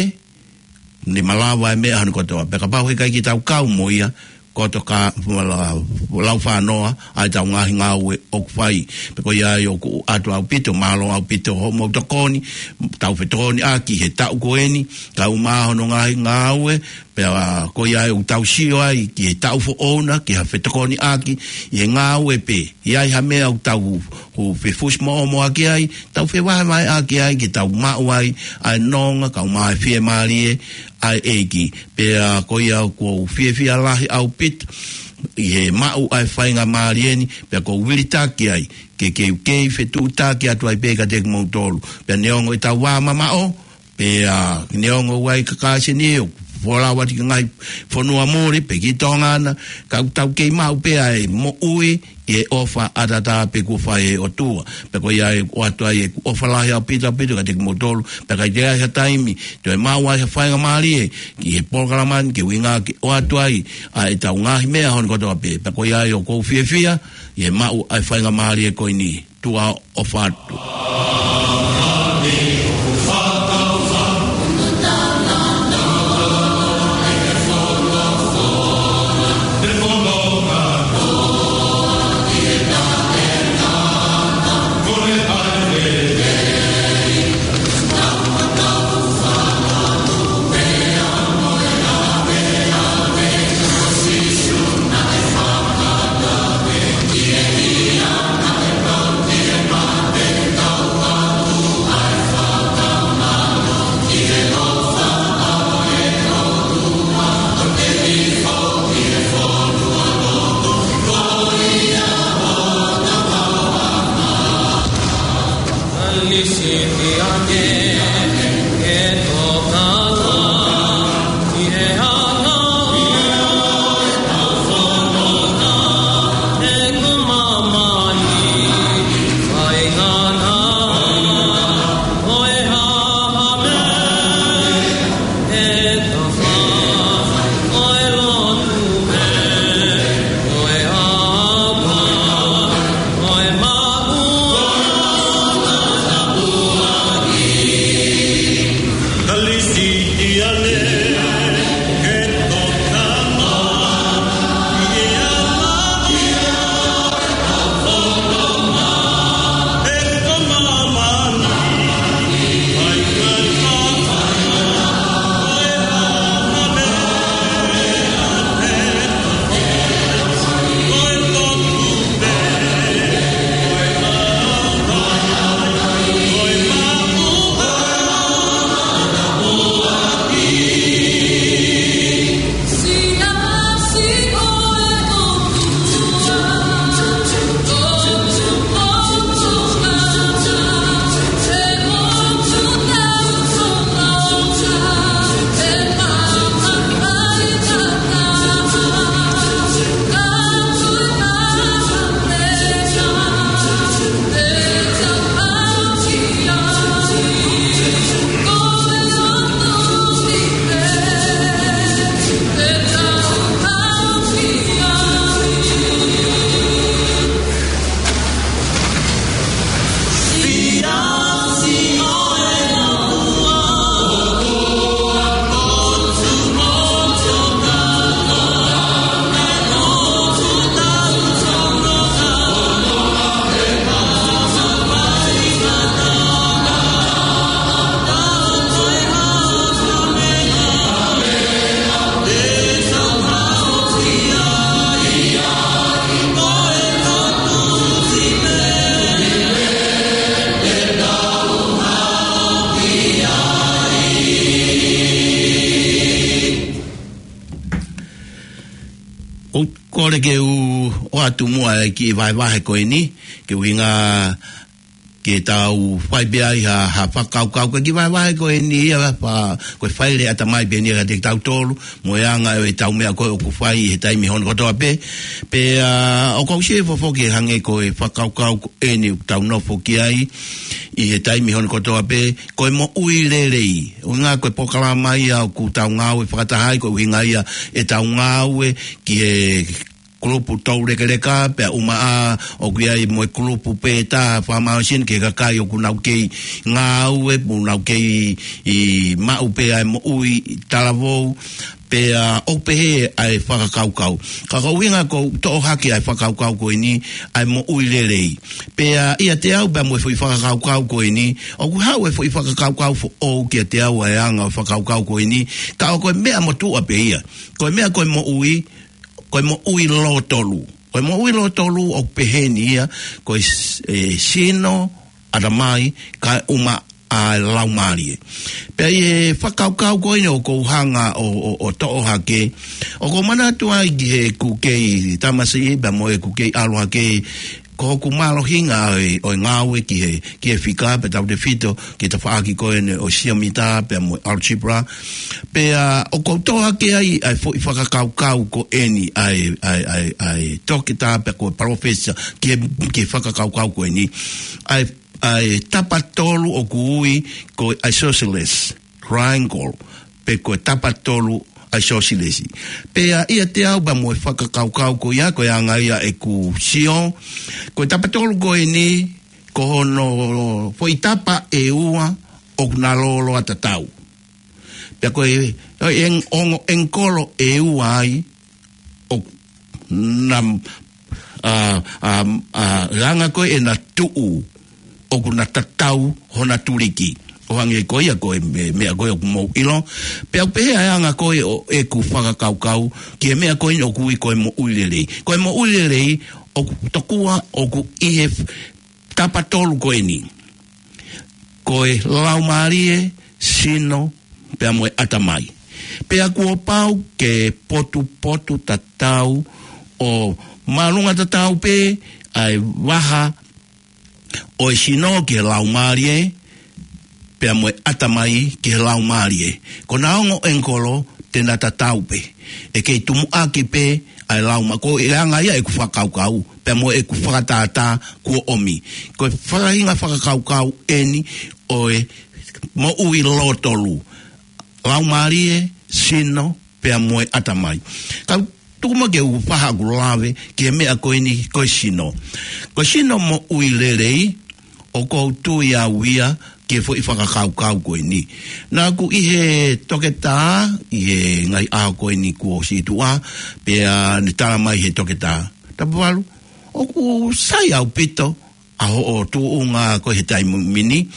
ne malava e meʻa hono kotoa. Pea kapau he ʻikai ke tau kau mo ia, koto ka, lau fanoa, ʻa ʻetau ngaahi ngāue ʻoku fai. Pea ko ia ai ʻoku ʻoatu ʻaupito, mālō ʻaupito hoʻomou tokoni, tau fetokoniʻaki he taʻu ko eni, kae ʻumaʻā hono ngaahi ngāue, pea ko ia ai ʻoku tau sio ai ki he taʻu foʻou na, ki ha fetokoniʻaki, ʻi he ngāue pē, ʻi ai ha meʻa ʻoku tau, ʻoku fefusi moʻomoʻaki ai, tau fevahevaheʻaki ai, ke tau maʻu ai ʻa e nonga, kau maʻa e fiemālie ʻa e ʻEiki. Pea ko ia ʻoku ou fiefia lahi ʻaupito, ʻi he maʻu ʻa e faingamālie ni, pea ʻoku ou vilitaki ai, ke, ke, ke fetuʻutaki atu ai pē kiate kimoutolu. Pea neongo ʻetau vā mamaʻo, pea neongo ʻoku ʻi ai e kakāsini ʻoku folau atu ki he ngaahi fonua muli, pe ki Tonga na, ka ʻoku tau kei maʻu pē ʻa e moʻui ʻi he ʻofa ʻataʻatā pē kuo fai ʻe he ʻOtua. Pea ko ia ʻoku ʻoatu ai ʻeku ʻofa lahi ʻaupito ʻaupito kiate kimoutolu, pea ka ʻi ai ha taimi, toe maʻu ai ha faingamālie ki he polokalama ni, ke ʻuhinga ke ʻoatu ai ʻa ʻetau ngaahi meʻa hono kotoa pē. Pea ko ia ʻoku ou fiefia ʻi he maʻu ʻa e faingamālie ko eni. Tuʻa ʻofa atu. ʻOku ou kole ke u ʻoatu muʻa e kiʻi vahevahe ko eni, ke ʻuhinga ke tau fai pē ai ha, ha fakakaukau, ko e kiʻi vahevahe ko eni ia, pea ko e faile ʻatamai pē eni ia kiate kitautolu, mo e anga ʻo ʻetau meʻa ko ē ʻoku fai he taimi hono kotoa pē. Pea, ʻa, ʻoku ou sio foki hangē ko e fakakaukau ko eni ʻoku tau nofo ki ai ʻi he taimi hono kotoa pē, ko e moʻui lelei. ʻUhinga ko e polokalama ia ʻoku tau ngāue fakataha ai, ko e ʻuhinga ia ʻetau ngāue ki he kulupu toulekeleka, pea ʻumaʻā ʻoku ʻi ai mo e kulupu pē taha fakamālohisino ki he kakai ʻoku nau kei ngāue, mo nau kei maʻu pē ʻa e moʻui talavou, pea ʻoku pehē ʻa e fakakaukau. Ka ko e ʻuhinga ʻoku toʻo hake ʻa e fakakaukau ko eni, ʻa e moʻui lelei. Pea ʻiate au pea mo e foʻi fakakaukau ko eni, ʻoku haʻu e foʻi fakakaukau foʻou kiate au ʻa e anga ʻo e fakakaukau ko eni, ka ʻoku ko e meʻa motuʻa pē ia. Ko e meʻa ko e moʻui, ko e moʻui lōtolu. Ko e moʻui lōtolu ʻoku pehē ni ia, ko e s-, e sino, ʻatamai, kae ʻumaʻā e laumālie. Pea ʻi he fakakaukau ko eni ʻoku ou hanga ʻo, ʻo, ʻo toʻo hake, ʻoku ou manatu ai ki heʻeku kei tamasiʻi, pea mo ʻeku kei ʻalu hake ko hoku mālohinga ʻo e, ʻo e ngāue ki he, ki he fika pea tautefito ki he tafaʻaki ko eni ʻo e siomitā pea mo e algebra. Pea ʻoku ou toʻo hake ai ʻa e foʻi fakakaukau ko eni ʻa e, ʻa e, ʻa e, ʻa e toketā pea ko e palōfesa ki he, ki he fakakaukau ko eni. ʻA e, ʻa e tapa tolu ʻoku ui ko e isosceles triangle, pe ko e tapa tolu ʻa e isosceles. Pea ʻiate au pea mo e fakakaukau ko ia, ko e anga ia ʻeku sio, ko e tapa tolu ko eni, ko hono foʻi tapa ʻe ua ʻoku na lōloa tatau. Pea ko e, ʻo e eng-, ongo ʻengikolo ʻe ua ai, ʻoku na, ʻa, ʻa, ʻa, anga ko ē ʻena tuʻu, ʻoku na tatau hona tuliki. ʻO hangē ko ia ko e me-, meʻa ko ē ʻoku mou ʻilo. Pea ʻoku pehē ʻa e anga ko ē ʻo ʻeku fakakaukau ki he meʻa ko eni ʻoku ui ko e moʻui lelei. Ko e moʻui lelei, ʻoku tokua ʻoku ʻi he f-, tapa tolu ko eni. Ko e laumālie, sino, pea mo e ʻatamai. Pea kuo pau ke potupotu tatau ʻo māʻolunga tatau pē ʻa e vaha ʻo e sino ki he laumālie, pea mo e ʻatamai ki he laumālie. Ko ʻena ongo ʻengikolo te na tatau pē. ʻE kei tumuʻaki pē ʻa e lauma-, ko e anga ia ʻeku fakakaukau, pea mo ʻeku fakatātā kuo ʻomi. Ko e faʻahinga fakakaukau eni ʻo e moʻui lōtolu. Laumālie, sino, pea mo e ʻatamai. Kau tuku mai ke u faʻa ʻoku lave ki he meʻa ko eni ko e sino. Ko e sino moʻui lelei, ʻoku ou tui au ia ki he foʻi fakakaukau ko eni. Naʻa ku ʻi he toketā, ʻi he ngaahi ʻaho ko eni kuo ʻosi tuʻa, pea ne tala mai he toketā. Tapu valu, ʻoku sai ʻaupito ʻa hoʻo tuʻunga ko ē he taimi ni,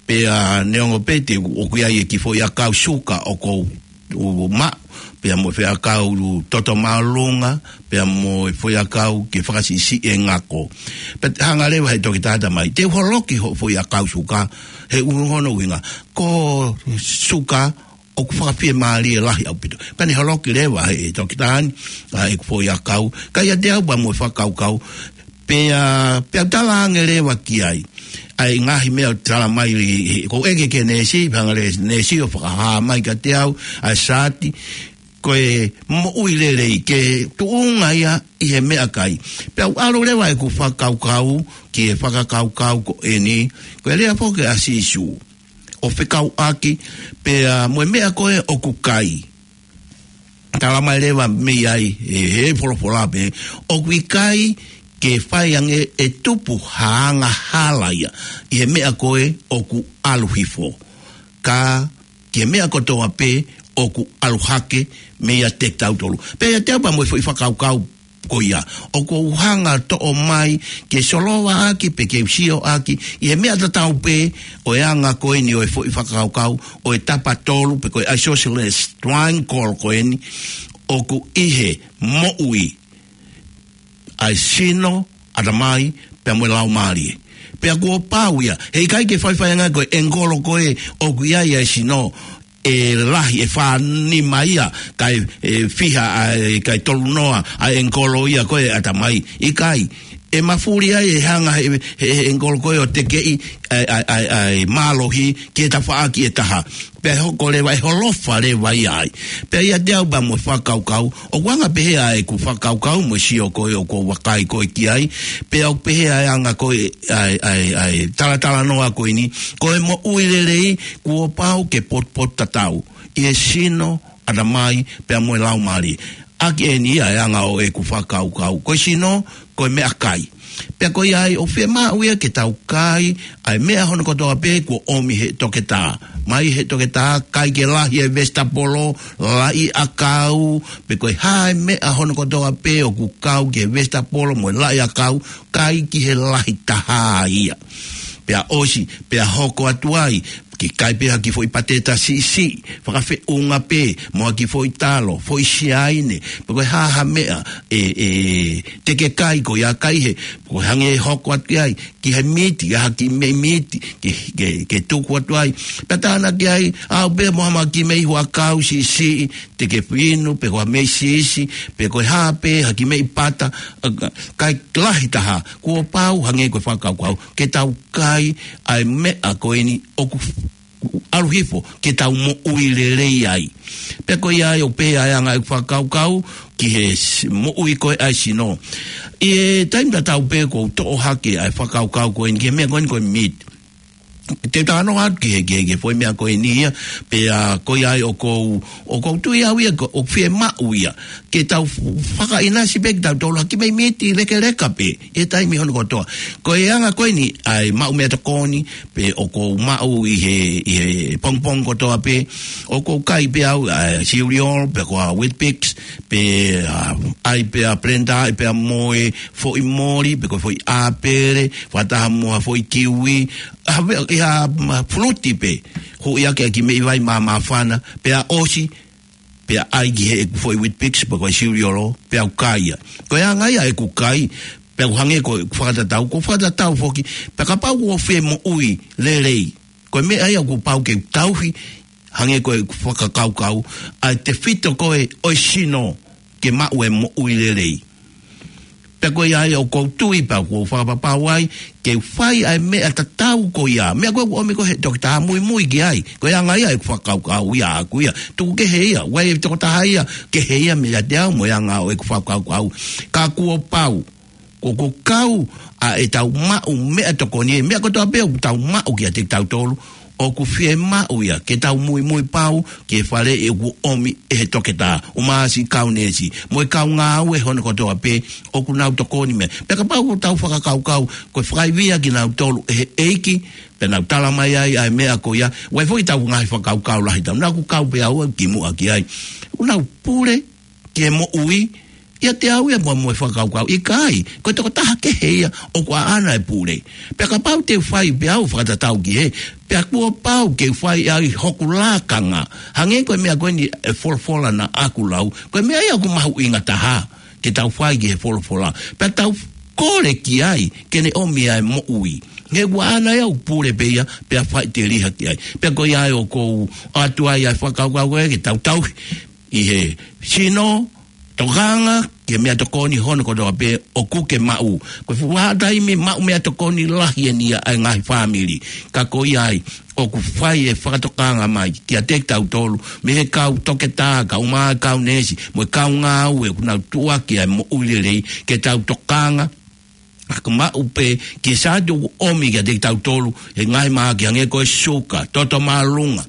pea neongo pē te ʻoku ʻi ai e kiʻi foʻi ʻakau suka ʻoku ou maʻu, pea mo e foʻi ʻakau toto māʻolunga, pea mo e foʻi ʻakau ke fakasiʻisiʻi e ngako. Pea hanga leva he toketā tala mai, te u holoki hoʻo foʻi ʻakau suka, he ʻuhinga hono ʻuhinga, ko e suka ʻoku fakafiemālie lahi ʻaupito. Pea ne holoki leva he toketā ni ʻa ʻeku foʻi ʻakau. Ka ʻiate au pea mo e fakakaukau, pea, pea u tala ange leva ki ai ʻa e ngaahi meʻa ʻoku tala mai, he ʻoku ou ʻeke ki he neesi, pea hanga leva he neesi ʻo fakahā mai kiate au ʻa e saati, ko e moʻui lelei ke tuʻunga ia ʻi he meʻakai. Pea u ʻalu leva ʻeku fakakaukau ki he fakakaukau ko eni, ko e lea foki ʻa Sīsū ʻo fekauʻaki pea mo e meʻa ko ē ʻoku kai. Tala mai leva mei ai, ʻe he folofola pē, ʻoku ʻikai ke fai ange ʻe tupu ha angahala ia ʻi he meʻa ko ē ʻoku ʻalu hifo. Ka ki he meʻa kotoa pē ʻoku ʻalu hake meiate kitautolu. Pea ʻiate au pea mo e foʻi fakakaukau ko ia. ʻOku ou hanga toʻo mai ke solova ʻaki pe ke u sio ʻaki ʻi he meʻa tatau pē ʻo e anga ko eni ʻo e foʻi fakakaukau ʻo e tapa tolu pe ko e isosceles triangle ko eni ʻoku ʻi he moʻui ʻa e sino, ʻatamai, pea mo e laumālie. Pea kuo pau ia. He ʻikai ke faifai ange ko e ʻengikolo ko ē ʻoku ʻi ai ʻa e sino ʻe lahi ʻe fā nima ia, kae, ʻe fiha ʻa e, kae tolu noa ʻa e ʻengikolo ia ko ē ʻatamai. ʻIkai, ʻe mafuli ai ʻe hanga he, he, he ʻengikolo ko ē ʻo tekeʻi ʻa e, ʻa e, ʻa e, ʻa e mālohi ki he tafaʻaki ʻe taha. Pea ʻe hoko leva, ʻe holofa leva ia ai. Pea ʻiate au pea mo e fakakaukau, ʻoku anga pehē ʻa ʻeku fakakaukau mo e sio ko ē ʻoku ou vakai ko ē ki ai, pea ʻoku pehē ʻa e anga ko ē ʻa e, ʻa e, ʻa e talatalanoa ko eni, ko e moʻui lelei, kuo pau ke potupotu tatau ʻi he sino, ʻatamai, pea mo e laumālie. ʻAki eni ia ʻa e anga ʻo ʻeku fakakaukau. Ko e sino, ko e meʻakai. Pea ko ia ai ʻoku fiemaʻu ia ke tau kai ʻa e meʻa hono kotoa pē kuo ʻomi he toketā. Mai he toketā, kai ke lahi e vesitapolo, laʻi ʻakau, pe ko e hā e meʻa hono kotoa pē ʻoku kau ki he vesitapolo mo e laʻi ʻakau, kai ki he lahi taha ia. Pea ʻosi, pea hoko atu ai, Ke kai pē ha kiʻi foʻi pateta siʻisiʻi, fakafeʻunga pē, mo ha kiʻi foʻi talo, foʻi siaine, pe ko e hā ha meʻa, ʻe, ʻe, te ke kai ko ia kai he, ko e hangē hoko atu ai, ki he miti, ha kiʻi meʻi miti, ke, ke, ke tuku atu ai. Pea tānaki ai, ʻalu pē mo ha kiʻi meʻi huʻakau siʻisiʻi, te ke inu, pe ko ha meʻi siʻisiʻi, pe ko e hā pē, ha kiʻi meʻi pata, ʻa, ka, kai lahi taha, kuo pau hangē ko e fakakaukau, ke tau kai ʻa e meʻa ko eni ʻoku f-, ʻalu hifo, ke tau moʻui lelei ai. Pea ko ia ai ʻoku pehē ai ʻa e anga ʻeku fakakaukau, ki he s-, moʻui ko ē ʻa e sino. ʻI he taimi tatau pē ʻoku ou toʻo hake ʻa e fakakaukau ko eni, ki he meʻa ko eni ko e meat. Te u talanoa atu ki he, ki he, ki he foʻi meʻa ko eni ia, pea ko ia ai ʻoku ou, ʻoku ou tui au ia ko, ʻoku fiemaʻu ia. Ke tau f-, fakaʻinasi pē kitautolu ha kiʻi meʻi miti lekeleka pē, ʻi he taimi hono kotoa. Ko e anga ko eni, ʻa e maʻu meʻatokoni, pē ʻoku ou maʻu ʻi he, ʻi he pongipongi kotoa pē, ʻoku ou kai pē au, ʻa e cereal, pe ko ha Weet-Bix, pē, ʻa, ʻai pē ʻa Blender, ʻai pē ʻa mo e foʻi moli, pe ko e foʻi ʻāpele, fakataha mo ha foʻi kiwi, ʻa, pē, ʻi ha, ma, fuluti pē, huʻi ake ʻa e kiʻi meʻi vai mā, māfana, pea ʻosi, pea ʻai ki he ʻeku foʻi Weet-Bix, pe ko e cereal, pea u kai ia. Ko e anga ia ʻeku kai, pea u hangē ko ʻeku fakatatau, ʻoku ou fakatatau foki, pea kapau ʻoku ou fie moʻui lelei. Ko e meʻa ia ʻoku pau ke u tauhi, hangē ko ʻeku fakakaukau, ʻa e tefito ko ē ʻo e sino ke maʻu e moʻui lelei. Pea ko ia ai ʻoku ou tui pea ʻoku ou fakapapau ai, ke u fai ʻa e meʻa tatau ko ia. Meʻa ko ē ʻoku ʻomi ko ē he toketā muimui ki ai. Ko e anga ia ʻeku fakakaukau ia ʻaʻaku ia. Tuku kehe ia, ʻoku ʻi ai e tokotaha ia, kehe ia meiate au mo e anga ʻo ʻeku fakakaukau. Ka kuo pau, ko, ko e kau ʻa ʻetau maʻu meʻatokoni, meʻa kotoa pē ʻoku tau maʻu kiate kitautolu, ʻoku fiemaʻu ia, ke tau muimui pau, ki he faleʻi ʻoku ʻomi ʻe he toketā, ʻumaʻā siʻi kau neesi, mo e kau ngāue hono kotoa pē, ʻoku nau tokoni mei ai. Pea kapau ʻoku tau fakakaukau, ko e fakaivia kinautolu ʻe he ʻEiki, pea nau tala mai ai, ʻa e meʻa ko ia, ʻoku ʻi ai foki ʻetau ngaahi fakakaukau lahi ʻatautolu, naʻa ku kau pē au ki muʻa ki ai. ʻOku nau pule, ki he moʻui, ʻiate au ia mo, mo e fakakaukau, ʻikai, ko e tokotaha kehe ia, ʻoku ʻaʻana e pule. Pea kapau te u fai pē au fakatatau ki he, pea kuo pau ke u fai ʻe au ʻi hoku lakanga. Hangē ko e meʻa ko eni e folofola naʻa ku lau. Ko e meʻa ia ʻoku mahuʻinga taha, ke tau fai ki he folofola. Pea tau kole ki ai, ke ne ʻomi ʻa e moʻui. He ʻoku ʻaʻana ia ʻoku pule pē ia, pea faʻiteliha ki ai. Pea ko ia ai ʻoku ou ʻoatu ai ʻa e fakakaukau ko ē, ke tau tauhi ʻi he sino, tokanga ki he meʻatokoni hono kotoa pē ʻoku ke maʻu. Ko e fuʻu vahaʻa taimi maʻu meʻatokoni lahi eni ia ʻa e ngaahi fāmili. Ka ko ia ai, ʻoku fai e fakatokanga mai kiate kitautolu, mei he kau toketā, kau mā, kau neesi, mo e kau ngāue, ʻoku nau tuʻuaki ʻa e moʻui lelei, ke tau tokanga, ʻa ʻoku maʻu pē ki he sātu ʻoku ʻomi kiate kitautolu, he ngaahi mahaki hangē ko e suka, toto māʻolunga,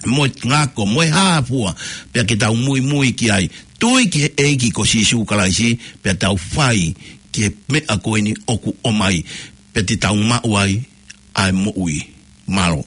mo e ngako, mo e hā fua, pea ke tau muimui ki ai. Tui ki he ʻEiki ko Sīsū Kalaisi, pea tau fai ki he meʻa ko eni ʻoku ʻomai, pea te tau maʻu ai ʻa e moʻui. Mālō.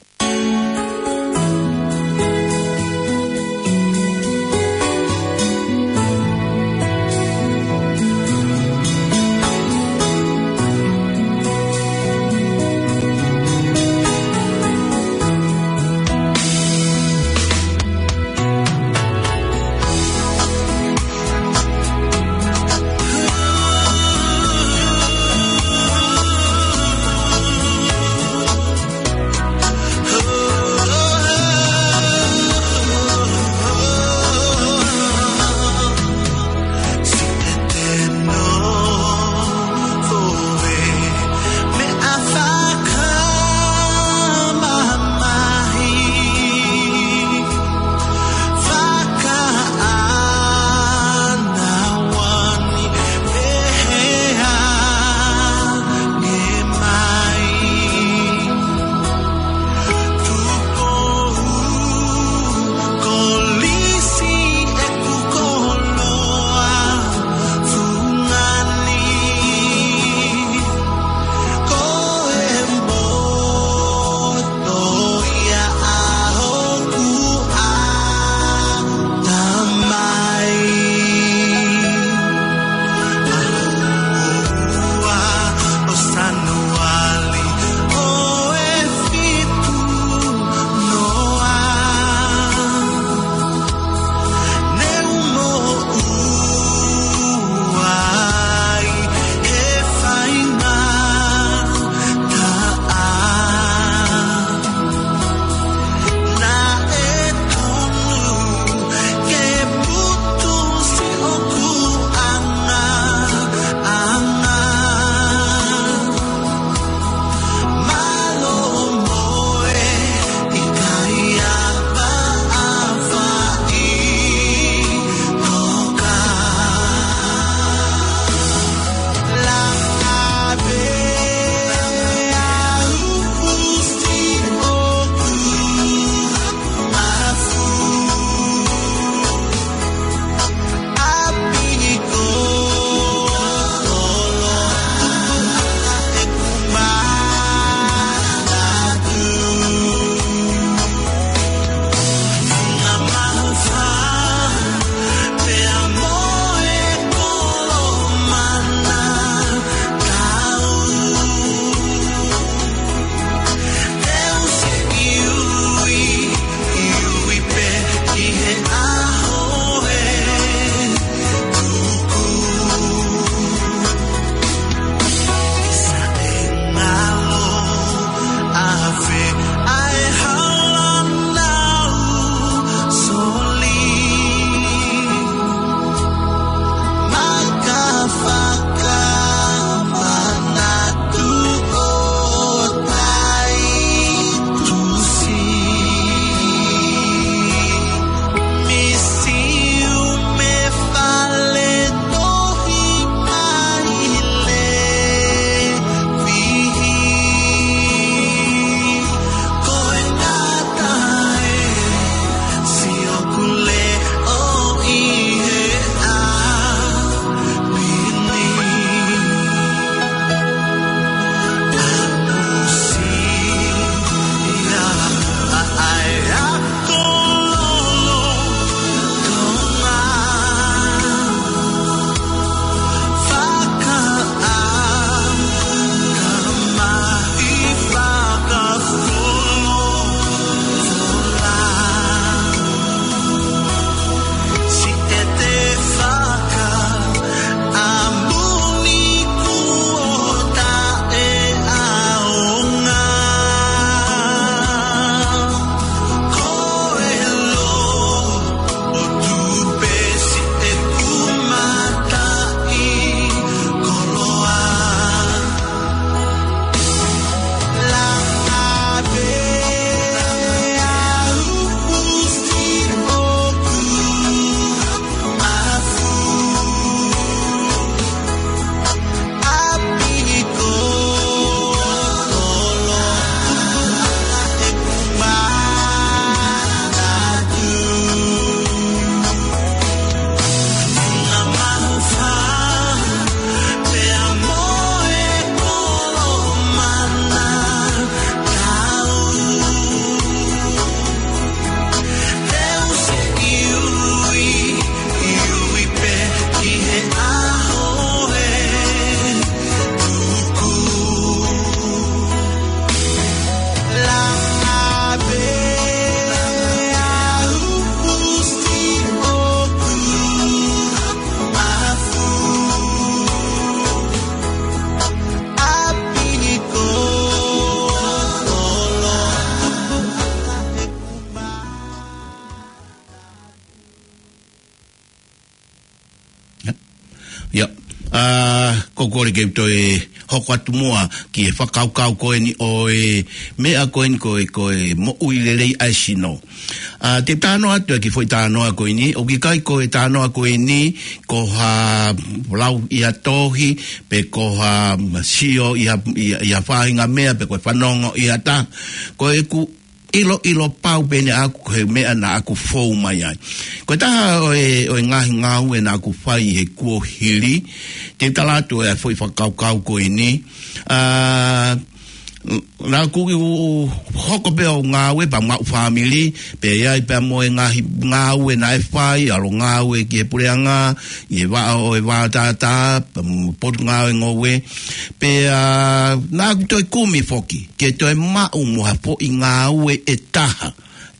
Ia, ʻa, ko e kole ke u toe hoko atu muʻa ki he fakakaukau ko eni ʻo e meʻa ko eni ko e, ko e moʻui lelei ʻa e sino. ʻA, te u talanoa atu ki he foʻi talanoa ko eni, ʻoku ʻikai ko e talanoa ko eni, ko ha lau ʻi ha tohi, pe ko ha sio ʻi ha, ʻi ha, ʻi ha faʻahinga meʻa, pe ko e fanongo ʻi ha taha. Ko ʻeku ʻiloʻilo pau pē eni ʻaʻaku ko e meʻa naʻa ku fou mai ai. Ko e taha ʻo e, ʻo e ngaahi ngāue naʻa ku fai he kuohili, te u tala atu e foʻi fakakaukau ko eni. ʻA, naʻa ku hoko pē ʻo ngāue pea maʻu fāmili, pea ʻi ai pea mo e ngaahi ngāue naʻe fai, ʻalu ngāue ki he puleʻanga, ʻi he vaʻa ʻo e vātātā, pea mo e potungāue ngoue. Pea naʻa ku toe kumi foki ke toe maʻu mo ha foʻi ngāue ʻe taha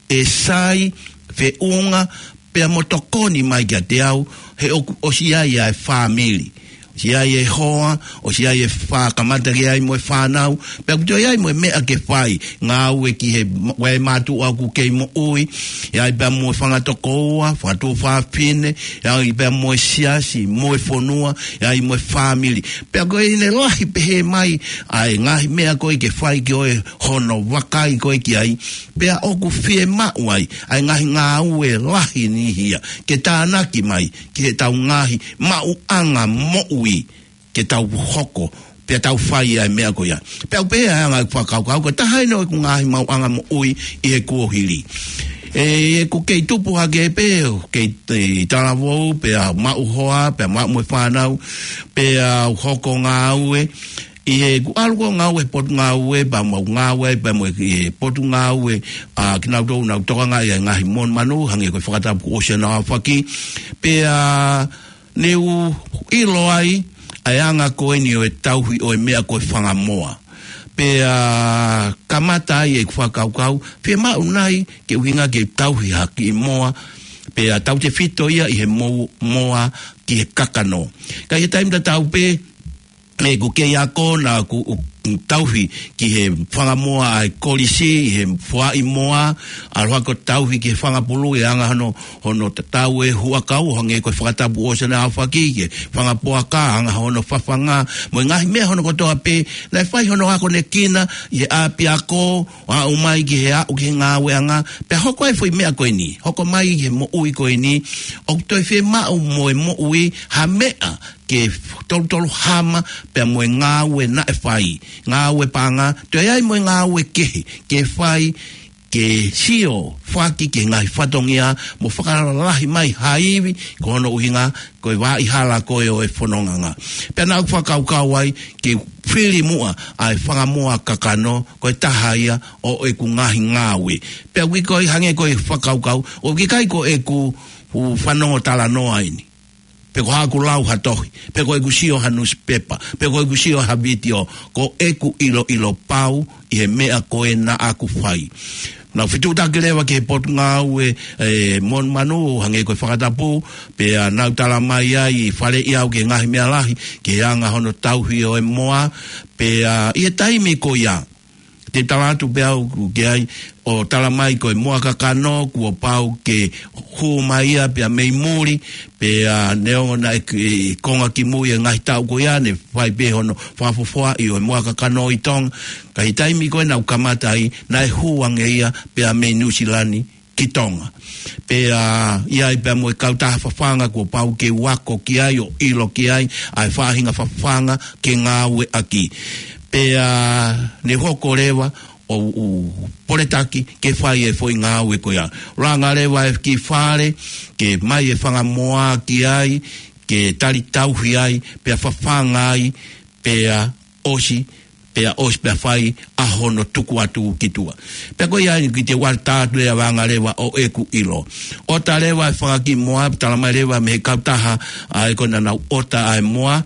ʻe sai, feʻunga, pea mo tokoni mai kiate au, he ʻoku ʻosi ʻi ai ʻa e fāmili, ʻosi ʻi ai e hoa, ʻosi ʻi ai e fā kamata ke ʻi ai mo e fānau, pea ʻoku toe ʻi ai mo e meʻa ke fai, ngāue ki he ma-, ʻa e mātuʻa ʻoku kei moʻui, ʻi ai pea mo e fanga tokoua, fanga tuofāfine, ʻi ai pea mo e siasi, mo e fonua, ʻi ai mo e fāmili. Pea ko ʻene lahi pehē mai ʻa e ngaahi meʻa ko ē ke fai ke ʻoua hono vakai ko ē ki ai, pea ʻoku fiemaʻu ai ʻa e ngaahi ngāue lahi ni ia ke tānaki mai ki heʻetau ngaahi maʻuʻanga moʻui, ke tau hoko pea tau fai ʻa e meʻa ko ia. Pea ʻoku pehē ʻa e anga ʻeku fakakaukau, ko e taha eni ʻo ʻeku ngaahi maʻuʻanga moʻui ʻi he kuohili. ʻE, ʻeku kei tupu hake pē, kei, ʻi talavou, pea maʻu hoa, pea maʻu mo e fānau, pea u hoko ngāue, ʻi heʻeku ʻalu ko ē ngāue he potungāue, pea mau ngāue, pea mo e, ʻi he potungāue, ʻa kinautolu naʻa ku tokangaʻi ʻa e ngaahi monumanu, hangē ko e fakatapu kuo ʻosi ʻanau ʻaofaki, pea ne u ʻilo ai ʻa e anga ko eni ʻo e tauhi ʻo e meʻa ko e fanga moa. Pea kamata ai ʻeku fakakaukau, fiemaʻu nai ke ʻuhinga ke tauhi ha kiʻi moa, pea tautefito ia ʻi he mou-, moa ki he kakano. Ka ʻi he taimi tatau pē, ʻeku kei ako naʻa ku u-, tauhi ki he fanga moa ʻa e kolisi, ʻi he foaʻi moa, ʻalu hake ʻo tauhi ki he fanga pulu ʻi he anga hono, hono tatau e huʻakau, hangē ko e fakatapu ʻosi ʻanau ʻaofaki, ki he fanga poaka, anga hono fafanga, mo e ngaahi meʻa hono kotoa pē, naʻe fai hono akonekina ʻi he ʻapiako, ʻo aʻu mai ki he aʻu ki he ngāueʻanga, pea hoko ai e foʻi meʻa ko eni, hoko mai ki he moʻui ko eni, ʻoku toe fiemaʻu mo e moʻui ha meʻa ke tolutolu hama pea mo e ngāue naʻe fai, ngāue paʻanga, toe ʻi ai mo e ngāue kehe ke fai, ke sio foki ki he ngaahi fatongia mo fakalalahi mai ha ivi, ko hono ʻuhinga ko e vaʻa hala ko ē ʻo e fonongaʻanga. Pea naʻa ku fakakaukau ai ke fili muʻa ʻa e fanga moa kakano, ko e taha ia ʻo ʻeku ngaahi ngāue. Pea ʻoku ʻikai ko e hangē ko e fakakaukau, ʻoku ʻikai ko ʻeku fanongo talanoa eni, pe ko haʻaku lau ha tohi, pe ko ʻeku sio ha nusipepa, pe ko ʻeku sio ha vitiō, ko ʻeku ʻiloʻilo pau ʻi he meʻa ko ē naʻa ku fai. Naʻa ku fetuʻutaki leva ki he potungāue, ʻe, monumanu, hangē ko e fakatapu, pea nau tala mai ai, faleʻi au ki he ngaahi meʻa lahi, ki he anga hono tauhi ʻo e moa, pea ʻi he taimi ko ia, te u tala atu pē au ki ai, ʻo tala mai ko e moa kakano, kuo pau ke hū mai ia pea mei muli, pea neongo naʻe, ʻe, konga kimui e ngaahi taʻu ko ia, ne fai pē hono fakafofoaʻi ʻo e moa kakano ʻi Tonga. Ka ʻi he taimi ko ē naʻa ku kamata ai, naʻe hū ange ia pea mei Nuʻusila ni ki Tonga. Pea ʻi ai pea mo e kautaha fafanga kuo pau ke u ako ki ai ʻo ʻilo ki ai ʻa e faʻahinga fafanga ke ngāueʻaki. Pea ne hoko leva ʻo u poletaki ke fai e foʻi ngāue ko ia. Langa leva e kiʻi fale, ke mai e fanga moa ki ai, ke tali tauhi ai, pea fafanga ai, pea ʻosi, pea ʻosi pea fai ʻa hono tuku atu ki tuʻa. Pea ko ia eni ki te wata atu e avanga leva ʻo ʻeku ʻilo. ʻOta leva e fanga kiʻi moa, tala mai leva mei he kautaha, ʻa ē ko ē naʻa nau ʻota ʻa e moa,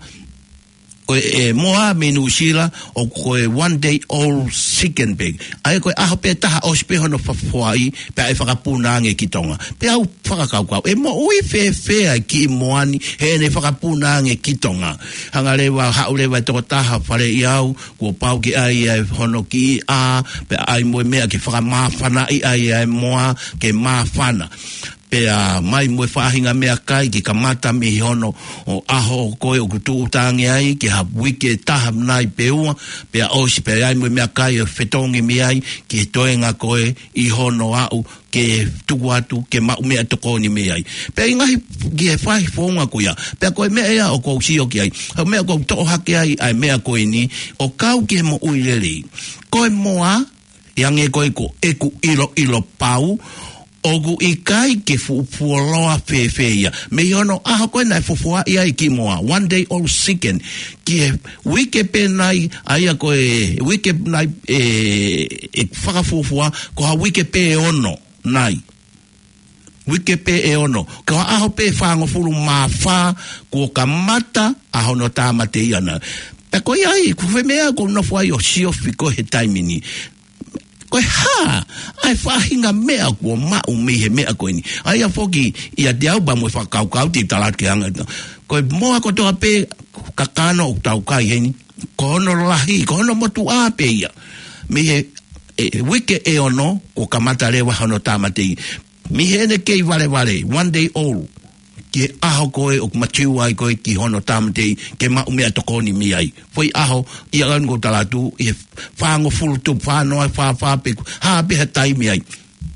ko e, e moa mei Nuʻusila, ʻoku ko e one day old chicken pē. ʻA ē ko e ʻaho pē taha ʻosi pē hono fakafoʻi, pea ʻe fakapuna ange ki Tonga. Pea u fakakaukau, ʻe moʻui fēfē ʻa e kiʻi moa ni, heʻene fakapuna ange ki Tonga. Hanga leva, haʻu leva e tokotaha faleʻi au, kuo pau ke ʻai ʻa hono kiʻi ʻā, pea ʻai mo e meʻa ke fakamāfanaʻi ai ʻa e moa, ke māfana. Pea mai mo e faʻahinga meʻakai ke kamata mei hono ʻaho ko ē ʻoku tuʻuta ange ai, ki ha uike ʻe taha nai pe ua, pea ʻosi pea ʻi ai mo e meʻakai ʻo fetongi mei ai, ki he toenga ko ē ʻi hono aʻu ke tuku atu, ke maʻu meʻatokoni mei ai. Pea ʻi he ngaahi, ki he faʻahi founga ko ia. Pea ko e meʻa ia ʻoku ou sio ki ai. Ko e meʻa ʻoku ou toʻo hake ai, ʻa e meʻa ko eni, ʻo kau ki he moʻui lelei. Ko e moa, ʻi ange ko ē ko ʻeku ʻiloʻilo pau, ʻoku ʻikai ke fuʻu fuoloa fēfē ia. Mei hono ʻaho ko ē naʻe fufuaʻi ai ki moa, one day old chicken. Ki he uike pē nai, ʻa ia ko e uike nai, ʻe, ʻe fakafuofua, ko ha uike pē ʻe ono nai. Uike pē ʻe ono. Ko ha ʻaho pē fāngofulu mā fā, kuo kamata ʻa hono tāmateʻi ʻana. Pea ko ia ai, ko e foʻi meʻa ʻoku ou nofo ai ʻo siofi ko ē he taimi ni. Ko e hā, ʻa e faʻahinga meʻa kuo maʻu mei he meʻa ko eni. ʻA ia foki, ʻiate au pea mo e fakakaukau te u tala atu ke hanga atu. Ko e moa kotoa pē, kakano ʻoku tau kai heni. Ko hono lahi, ko hono motuʻa pē ia. Mei he, ʻe, uike ʻe ono, kuo kamata leva hono tāmateʻi. Mei heʻene kei valevale, one day old. Ki he ʻaho ko ē ʻoku matiu ai ko ē ki hono tāmateʻi, ke maʻu meʻatokoni mei ai. Foʻi ʻaho, ʻi he ʻaho ni ʻoku ou tala atu, ʻi he fāngofulu tupu, fānoa, fā, fā pē, hā pē ha taimi ai.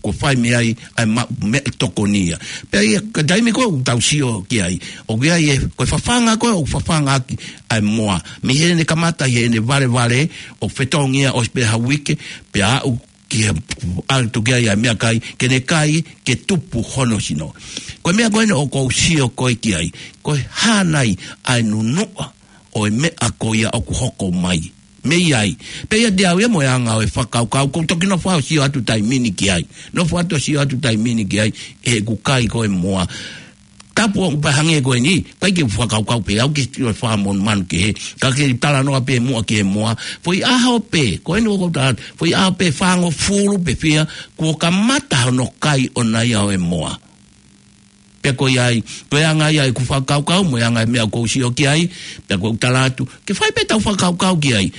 Kuo fai mei ai, ʻa e maʻu meʻatokoni ia. Pea ʻi he, ka taimi ko ē ʻoku tau sio ki ai. ʻOku ʻi ai e, ko e fafanga ko ē, ʻoku fafanga ʻaki, ʻa e moa. Mei heʻene kamata, ʻi heʻene valevale, ʻo fetongi ia, ʻosi pē ha uike, pea aʻu ki he ʻalu atu ki ai ʻa e meʻakai, ke ne kai, ke tupu hono sino. Ko e meʻa ko eni ʻoku ou sio ko ē ki ai, ko e hā nai ʻa e nunuʻa ʻo e meʻa ko ia ʻoku hoko mai. Mei ai. Pea ʻiate au ia mo e anga ʻo e fakakaukau, ʻoku ou toki nofo ʻo sio atu taimi ni ki ai. Nofo atu ʻo sio atu taimi ni ki ai, ʻeku kai ko ē moa. Tapu ʻoku pehē ange ko eni, ʻikai ke u fakakaukau pē au ke tio fakamonumanu ki he, ka ke talanoa pē muʻa ki he moa. Foʻi ʻaho pē, ko eni ʻoku ou tala atu, foʻi ʻaho pē fāngofulu pē fiha, kuo kamata hono kai ʻona ia ʻo e moa. Pea ko ia ai, ko e anga ia ʻeku fakakaukau, mo e anga e meʻa ʻoku ou sio ki ai, pea ʻoku ou tala atu, ke fai pē ʻetau fakakaukau ki ai.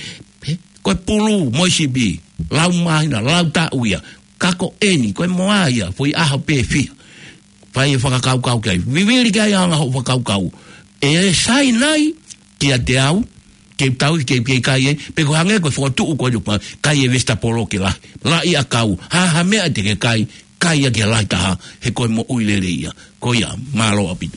He, ko e pulu, mo e sipi, lau māhina, lau taʻu ia, ka ko eni, ko e moa ia, foʻi ʻaho pē fiha. Fai e fakakaukau ki ai. Vivili ki ai ʻa e anga hoʻo fakakaukau. ʻE sai nai, kiate au, ke tau ke, ke kai ē, pe ko e hangē ko e fokotuʻu ko ē ʻoku kai e vesitapolo ke lahi. Laʻi ʻakau, ha, ha meʻa te ke kai, kai ia ke lahi taha, he ko e moʻui lelei ia. Ko ia, mālō ʻaupito.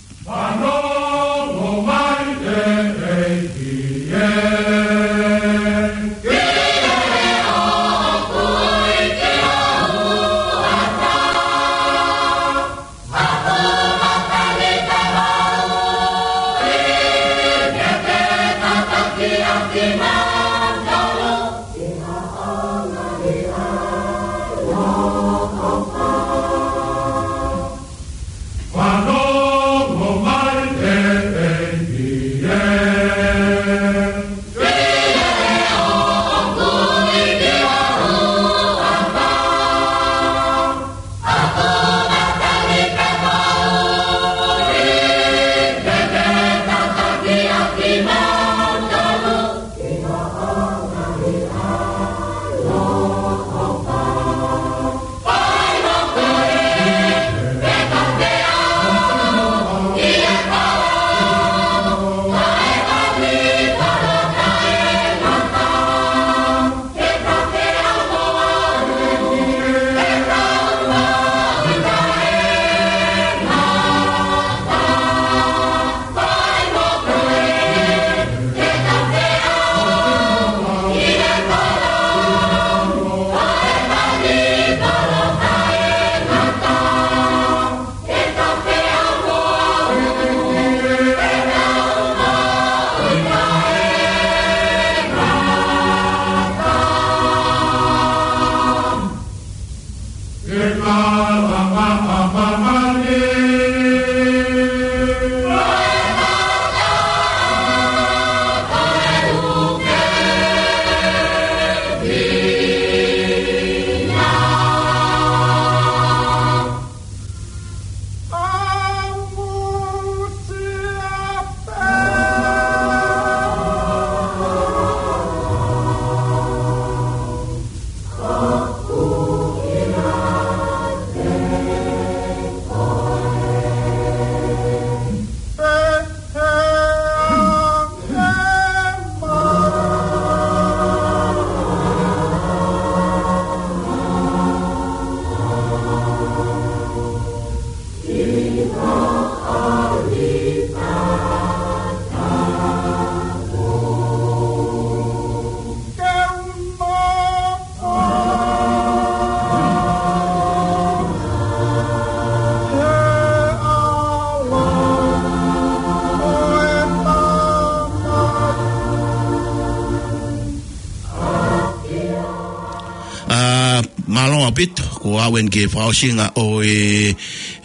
Pito, ko au eni ki he fakaʻosinga ʻo e,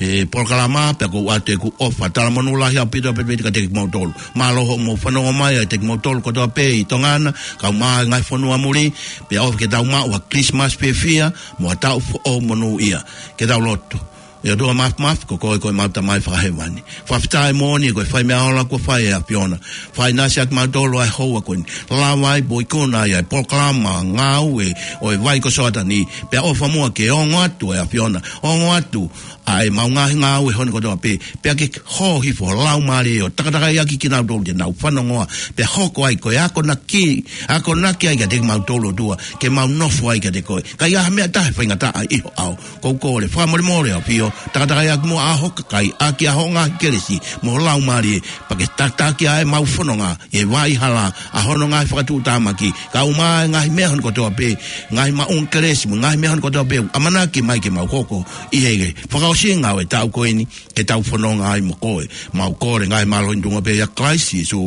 e polokalama, pea ʻoku ou ʻoatu ʻeku ʻofa talamonū lahi ʻaupito pē kiate kimoutolu. Mālō hoʻomou fanongo mai ʻa kimoutolu kotoa pē ʻi Tonga na, kae ʻumaʻā e ngaahi fonua muli, pea ʻofa ke tau maʻu ha Christmas fiefia, mo ha taʻu foʻou monūʻia. Ke tau lotu. ʻE ʻOtua Māfimafi, ko koe ko ʻemau Tamai Fakahēvani. Fakafetaʻi moʻoni ko e fai meʻa ola kuo fai ʻe he ʻAfiona. Fai ʻinasi ʻaki kimautolu ʻa e houa ko eni. Lava ai pea ikuna ai ʻa e polokalama ngāue ʻo e vai ko Soatani. Pea ʻofa muʻa ke ongo atu ʻa e ʻAfiona. Ongo atu ʻa ʻemau ngaahi ngāue hono kotoa pē. Pea ke hō hifo ho Laumālie ʻo takatakai ʻaki kinautolu ke nau fanongoa. Pea hoko ai ko e akonaki, akonaki ai kiate kimautolu ʻOtua. Ke mau nofo ai kiate koe. Ka ʻi ai ha meʻa ʻe taha ʻe faingataʻa ʻi ho ʻao. ʻOku ou kole fakamolemole ʻAfio, takatakai ʻaki muʻa ʻa ho kakai, ʻaki ʻa ho ngaahi kelesi, mo ho Laumālie, pea ke takitaki ʻa ʻemau fononga, ʻi he vaʻa hala, ʻa hono ngaahi fakatuʻutāmaki, kae ʻumaʻā e ngaahi meʻa hono kotoa pē, ngaahi maʻunga kelesi, mo e ngaahi meʻa hono kotoa pē, ʻamanaki mai ke mau hoko, ʻi he fakaʻosinga ʻo e taʻu ko eni, ke tau fononga ai mo koe, mau kole ngaahi mālohi tuʻunga pē ʻia Kalaisi Sīsū.